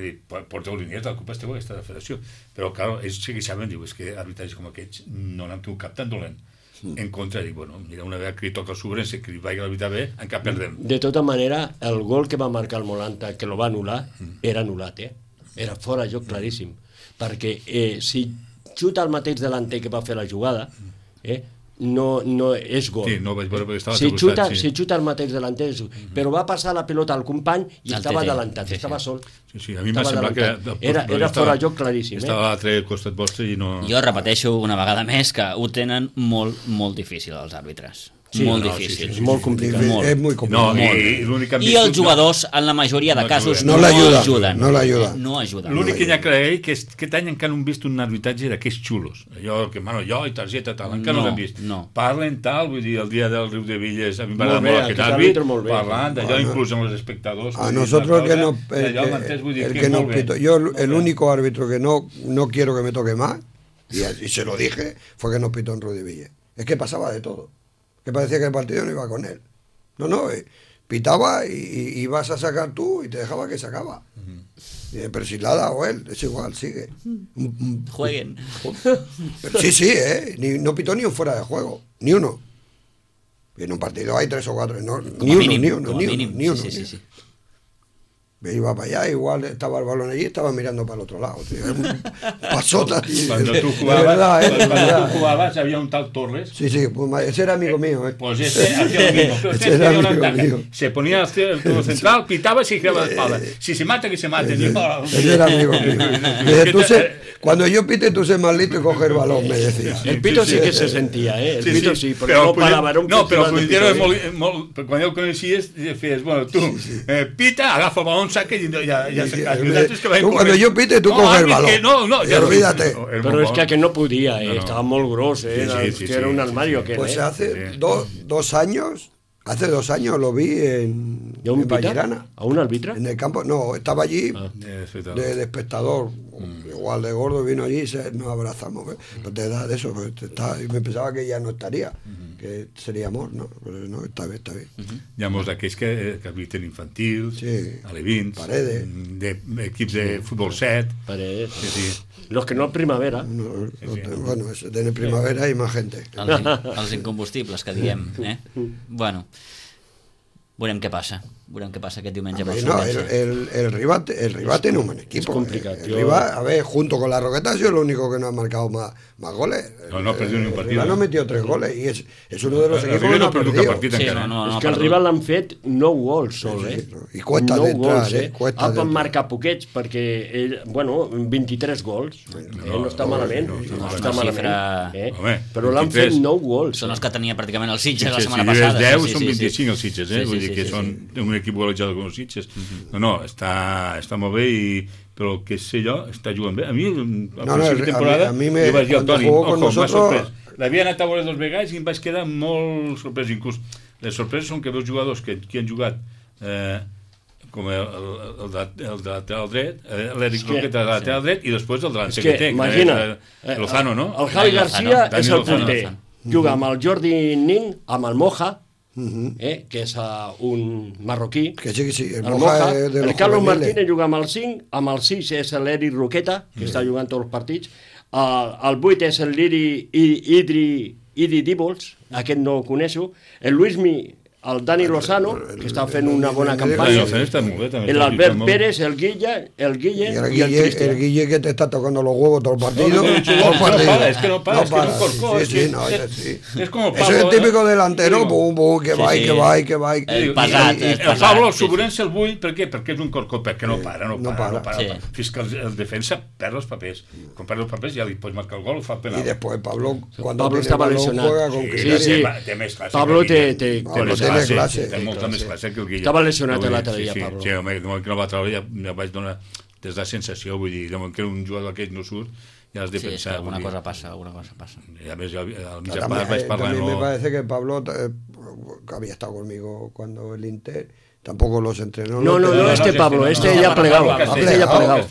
porteu línies, la culpa és teva, aquesta federació. Però, clar, ells sí que saben, diu, és que arbitratges com aquests no n'han tingut cap tan dolent. En contra, dic, bueno, mira, una vegada que li toca el sobrense, que li vagi a l'arbitrar bé, encara perdem. De tota manera, el gol que va marcar el Molanta, que lo va anul·lar, era anul·lat, Era fora de joc claríssim. Perquè si xuta el mateix delanter que va fer la jugada, no és gol. Sí, no vaig veure perquè estava si al teu xuta, costat, sí. si xuta el mateix delanter, però va passar la pilota al company i Al estava TT. adelantat, Sí, sí. estava sol. Sí, a mi m'ha Estava semblat que... adelantat. Era fora de joc claríssim. Estava a l'altre costat vostre i no... Jo repeteixo una vegada més que ho tenen molt, molt difícil els àrbitres. Sí, molt no, difícil. és molt complicat. Molt. És muy complicado. No, i l'únic que han I viscut, els jugadors, en la majoria de casos, No no l'ajuden, ajuden. no l'ajuden. No ajuden. L'únic que hi ha que agrair que aquest any encara no hem vist un arbitratge d'aquests xulos. Allò que, bueno, jo i targeta tal, encara no No, l'hem vist. no. Parlen tal, vull dir, el dia del Riu de Villes, a mi Molt m'agrada bé, molt aquest aquest àrbit, àrbitre molt bé. parlant d'allò, Bueno, inclús amb els espectadors. A vull dir, nosotros una que no, cosa, allò, m'entens? Vull dir, el que que molt no bé. pito, yo Molt el bé. único árbitro que no quiero que me toque más, y se lo dije, fue que nos pitó en Rudiville. Es que pasaba de todo, que parecía que el partido no iba con él. No, pitaba y ibas a sacar tú y te dejaba que sacaba. Pero si la ha dado él, es igual, sigue. Jueguen. Pero sí, no pitó ni un fuera de juego, ni uno. Y en un partido hay 3 o 4, no, ni uno. Sí. Me iba para allá, igual estaba el balón allí, estaba mirando para el otro lado. Tío. Pasota, tío. Cuando tú De jugabas, verdad, de cuando verdad. tú jugabas había un tal Torres. Sí, pues ese era amigo mío. Pues ese hacía lo mismo. Pero Ese usted era tenía una amigo ventaja. mío. Se ponía el todo central, pitaba y se giraba la espalda. Si se mata, que se mate. Ese era amigo mío. Dice, cuando yo pite, tú sé más listo y coge el balón, me decía. El Pito sí que se sentia, El Sí, Pito sí, perquè no parava, era un no, però el festival de Punyentero és Pito, molt... Quan ja el coneixies, feies, bueno, tu, pita, agafa el balón, saca i ja sacas. I els altres que van Tú, cuando yo pite, tú coges el balón. No, Y olvídate. Però és que aquest no podia, No, no. estava molt gros, Sí, que era un armario aquest, Pues hace 2 años, lo vi en ¿Y a un pita? Vallerana. ¿A un árbitro? En el campo, no, estaba allí de espectador, igual de gordo, vino allí y nos abrazamos. No te da de eso, y me pensaba que ya no estaría, que sería amor, ¿no? Pero no, está bien. Hi ha molts d'aquells que habiten infantil, Sí. alevins, Paredes. d'equips de futbol 7. Paredes. Sí. Los que no primavera. Bueno, en primavera hay más gente. Els incombustibles, que diem. Bueno, veurem què passa. Veurem què passa aquest diumenge. per No, Solvença. el Riva tiene un buen equipo. complicado, El yo- Riva, a ver, junto con la Roqueta ha sido el único que no ha marcado más goles. No ha perdido ni un El partido. Riva no metió 3 goles y es uno de los equipos que River no no ha ha perdut perdido. cap partit Sí, encara. no, És ha que el perdut. rival l'han fet 9 gols sol, Sí, I cuesta 9 d'entrar, gols, cuesta Van d'entrar. marcar poquets perquè ell, 23 gols. No està malament. no, No, no, està una malament. xifra- Home, Però l'han fet 23. 9 gols. Són els que tenia pràcticament els Sitges la Sitges, setmana si lleves passada. 10 són 25 els Sitges, Sí, vull dir que són un equip golejador com els Sitges. No, està molt bé, però el que sé jo, està jugant bé. A mi, al principi de temporada, a mi me- jo vaig dir al cuando Toni, jugó con m'ha nosotros- sorprès. L'havia anat a veure 2 vegades i em vaig quedar molt sorprès. Inclús les sorpreses són que veus jugadors que han jugat com el de lateral dret, l'Eric Roqueta de lateral dret, i després el delanter que té, imagina, Lozano, no? El Javi Garcia Dani és el Lozano. porter. Juga amb el Jordi Nin, amb el Moja, que és un marroquí. Que sí, El el Moja Moja, es de el los Carlos juveniles. Martínez juga amb el 5, amb el 6 és l'Eric Roqueta, que està jugant tots els partits, el 8 és el Idi Díbols, aquest no el coneixo, el Luismi, el Dani Lozano, que està fent una bona Dani campanya, Lozano està molt bé, també. l'Albert Pérez, el Guille Y el i el Guille, Cristian. que te está tocando los huevos todo el partido. No, todo el es que no partido. para, es que no para, es un corcó, Sí, es sí, que no, es- sí. es como Eso es Pablo, el típico ¿no? delantero, Digo, pum, pum, que va, sí, y sí. que va, y que va. Pesat, El pesat, Pablo, el sí, Sobrense el vull, per què? Perquè és un corcó, perquè no para, no no para. para. Sí. Fins que el defensa perd els papers. Quan perd els papers ja li pots marcar el gol o fa el penal. Y después Pablo, cuando Pablo tiene estaba balón, lesionado. juega con Sí, criterio. sí. Té més classe Pablo que el Guille. té Pablo més tiene clase, té té molta clase. més classe que el Guille. Estava lesionat Vull dir, l'altre dia, sí, Pablo. Sí, home, de moment que no va treure ja vaig donar des de sensació, vull dir, de moment que un jugador aquell no surt, ja has de Sí, és que pensar. alguna vull dir. cosa passa, alguna cosa passa. I a més, al mig a También, part vaig parlar... también me parece que Pablo, que había estado conmigo cuando el Inter, tampoco los entrenó. No, este Pablo, este ya ha plegado. Este ya ha plegado.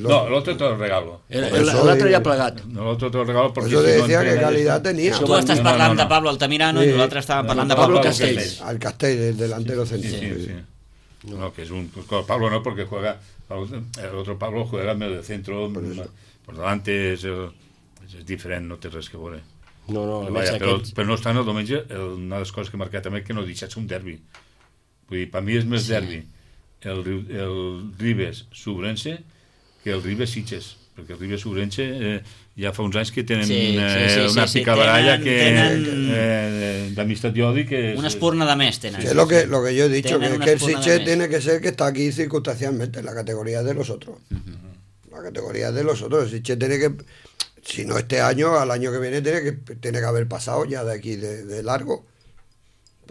No, l'altre te lo regalo. L'altre ja ha plegat. No, l'altre te lo regalo Por perquè eso si te no decía que entrenes- calidad tenía. Tu estàs no, parlant no. de Pablo Altamirano i Sí. nosaltres estàvem parlant de Pablo Pablo Castells. Castells. Al Castell, el delantero centro. Sí. No, que es un... Pues, Pablo no, porque juega... El otro Pablo juega en medio de centro, por delante, es diferent, no té res que veure. No, a més Vaja, aquest... però no obstant, el diumenge, una de les coses que he marcat també que no deixat ser un derbi. Vull dir, per mi és més derbi el Ribes-Sobrense que el Ribes-Sitges, perquè el Ribes-Sobrense ja fa uns anys que tenen una picabaralla d'amistat i odi que... Una espurna de més tenen. Sí, es lo que yo he dicho, Tienen que, una es que el espurna de Sitges mes. tiene que ser que está aquí circunstancialmente, en la categoría de los otros. La categoría de los otros. El Sitges tiene que, si no este año, al año que viene tiene que haber pasado ya de aquí de largo.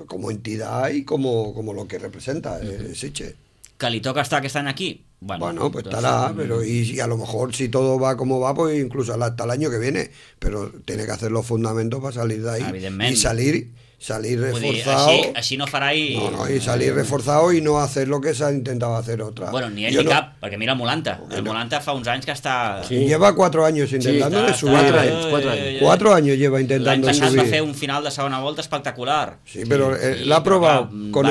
como entidad y como lo que representa Sitges. Que li toca estar aquest any aquí? Bueno, pues estará, pero y a lo mejor si todo va como va, pues incluso hasta el año que viene, pero tiene que hacer los fundamentos para salir de ahí y salir reforzado. Així no farà i... No, y salir reforzado y no hacer lo que se ha intentado hacer otra. Bueno, ni ell ni cap, perquè mira el Molanta. El Molanta fa uns anys que està... Sí. Lleva 4 años intentando de subir. 4 anys. 4 años lleva intentando subir. L'any passat va fer un final de segona volta espectacular. Sí, pero l'ha probado con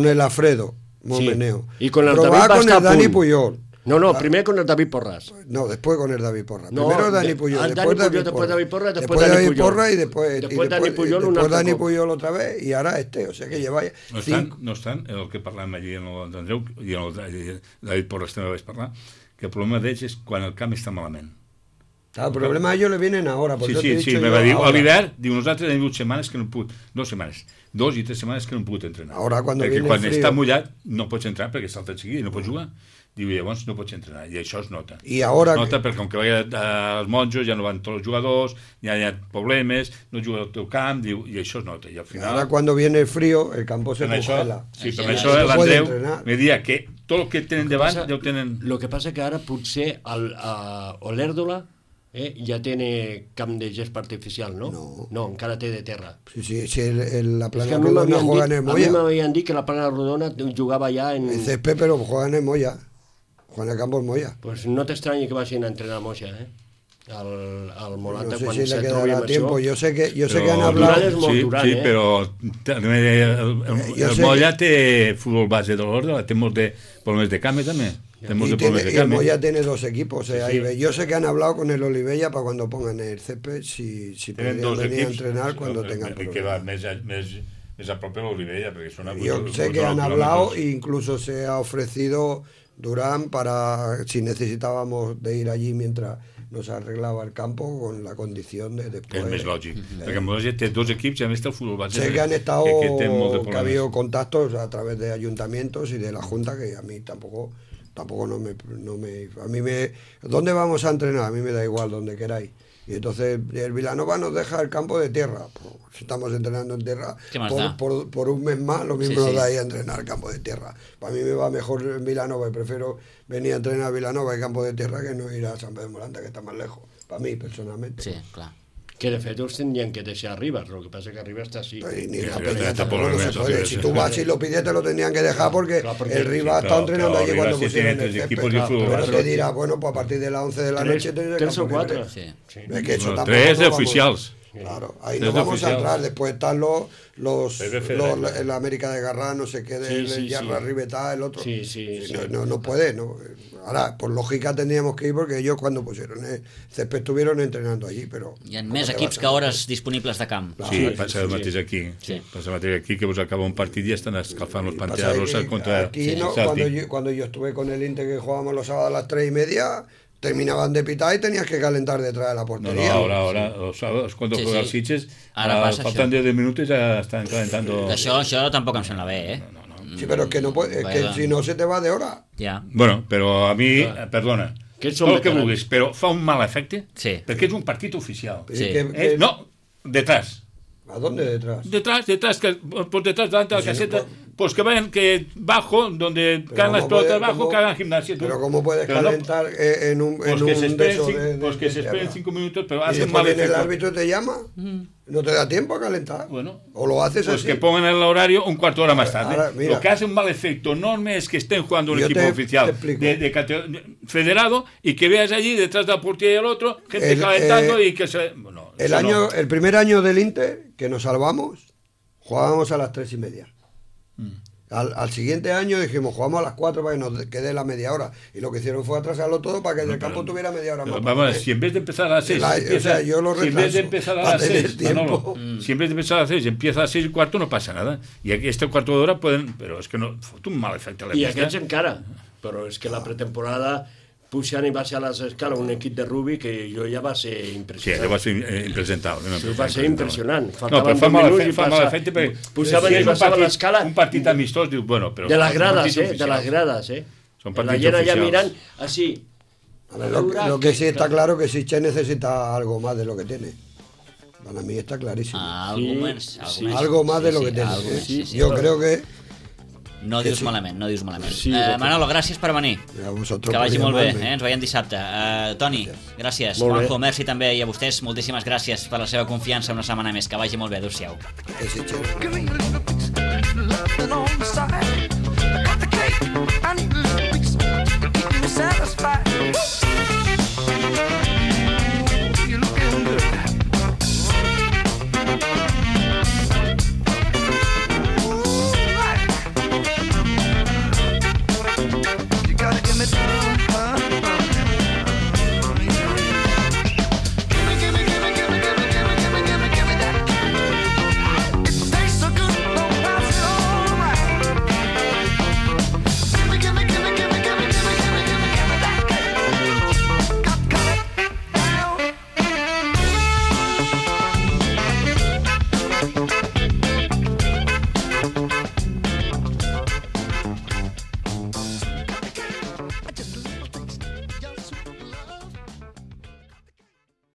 el Alfredo Momeneo. Y con el David con el Dani Puyol. No, primer con el David Porras. No, después con el David Porras. No, primero Dani Puyol, después David Porras, después Dani Porras y después Dani Puyol, después Dani Puyol otra vez y ahora o sea que lleva... No obstant, el que parlàvem allí en l'Andreu i en el David Porras també vaig parlar, que el problema d'ells és quan el camp està malament. El problema a ellos le vienen ahora. Sí, me va dir, a l'hivern, diu, nosaltres hem 2 setmanes que no hem pogut, 2 i 3 setmanes que no hem pogut entrenar. Perquè quan està mullat no pots entrar perquè salta enseguida i no pots jugar. Diu, llavors no pots entrenar, i això es nota. Es nota perquè com que els monjos ja no van tots els jugadors, ja hi ha problemes, no juga al teu camp, diu, i això es nota. I al final... Ahora cuando viene el frío, el campo se congela. Sí, per això l'Andreu me dia que tot el que tenen davant ja ho tenen... Lo que passa que ara potser Olèrdola ja té camp de gespa artificial, ¿no? No, encara té de terra. Sí, la plana rodona juega en el Moya. A mi m'havien dit que la plana rodona jugava ja en... En césped, pero juega en el Moya. Juega en el campo del Moya. Pues no t'estranyi que vagin a entrenar a Moya, al Molanta, no sé quan si se le trobi quedará amb tiempo. això. Yo sé que han hablado... Sí, però el Moya té futbol base de l'ordre, té molts de problemes de camp també. Y el Moya tiene 2 equipos. Yo sé que han hablado con el Olivella para cuando pongan el césped, si podrían venir a entrenar cuando tengan problemas. Que va més a prop de l'Olivella, perquè són... Yo sé que han hablado e incluso se ha ofrecido Durán para si necesitábamos de ir allí mientras nos arreglaba el campo con la condición de después... És més lògic, perquè Mollet té 2 equips i a més té el futbol base. Sé que han estado, que ha habido contactos a través de ayuntamientos y de la Junta que a mí tampoco no me a mí me... ¿Dónde vamos a entrenar? A mí me da igual, donde queráis. Y entonces el Vilanova nos deja el campo de tierra. Pues, si estamos entrenando en tierra por un mes más, lo mismo nos da ahí a entrenar el campo de tierra. Para mí me va mejor en Vilanova y prefiero venir a entrenar a Vilanova y campo de tierra que no ir a San Pedro de Molanta, que está más lejos. Para mí, personalmente. Sí, clar. Que de fet els tendrien que deixar a Rivas, lo que pasa es que Rivas está así. Si tú vas y lo pides, te lo tendrían que dejar porque el Rivas está entrenando allí cuando pusieron el césped. Pero te dirá, bueno, pues a partir de las 11 de la noche tienes el campo libre. 3 o 4. Sí. Es que eso 3 oficials. Claro, ahí no vamos a entrar. Después están los el América de Garrá, no sé qué, del Yarra Ribetá, el otro. No puede, no. Ahora, por lògica tendríamos que ir porque ellos cuando pusieron el césped estuvieron entrenando allí, però... Hi ha més equips que hores disponibles de camp. Sí, passa el mateix aquí. Passa el mateix aquí, que vos acaba un partit i estan escalfant los Pantera Rosa contra aquí, cuando yo estuve con el Inter, que jugábamos los sábados a las 3:30, terminaban de pitar y tenías que calentar detrás de la portería. No, ahora, los sábados, cuando juega el Sitges, faltan 10 minutos ya están calentando... Això tampoc em sembla bé, Sí, pero es que no puede, es que si no se te va de hora. Ja. Bueno, però a mi, perdona, tot el que vulguis, però fa un mal efecte perquè és un partit oficial. Sí. No, detrás. ¿A dónde detrás? Detrás, que por detrás delante de la caseta, pues que vayan, que bajo, donde caen las pelotas abajo, que hagan gimnasia. Pero ¿cómo puedes calentar en un Pues que se esperen 5 minutos, pero hacen mal efecto. ¿El árbitro te llama? ¿No te da tiempo a calentar? Bueno, o lo haces pues así. Que pongan el horario un cuarto de hora más tarde. Ahora, lo que hace un mal efecto enorme es que estén jugando un equipo oficial de federado y que veas allí detrás de la portería y el otro, gente calentando y que se... Bueno, el primer año del Inter, que nos salvamos, jugábamos a las 3:30. Al siguiente año dijimos, jugamos a las 4 para que nos quede la media hora. Y lo que hicieron fue atrasarlo todo para que el campo tuviera media hora más. Vamos, si en vez de empezar a las 6, si en vez de empezar a las 6, si en vez de empezar a las 6 empieza a las 6:15, no passa nada. Y aquí este cuarto de hora pueden... Pero es que no, fot un mal efecte a la pista. I aquests encara. Però és que la pretemporada... Puixant i va ser a les escales un equip de rugby que jo ja va ser impressionant. Sí, allò va ser impresentable. Va ser impressionant. No, però fa mal efecte perquè... Pujaven i passaven l'escala... Un partit amistós, diu, bueno, però... De les grades, de les grades, Són partits la gent allà oficials. mirant, així... Lo que sí está claro que Sitges necesita algo más de lo que tiene. Para mí está clarísimo. Algo más de lo que tenés. Yo creo que... No dius malament, no dius malament. Sí, Manolo, gràcies per venir. A vosotros Que vagi por molt bé, llamarme. ens veiem dissabte. Toni, gràcies. Molt bé. Juanjo, merci també, i a vostès moltíssimes gràcies per la seva confiança una setmana més. Que vagi molt bé, adéu-siau. Que sí, chao. Give me a little bit of love on the side. I got the cake, I need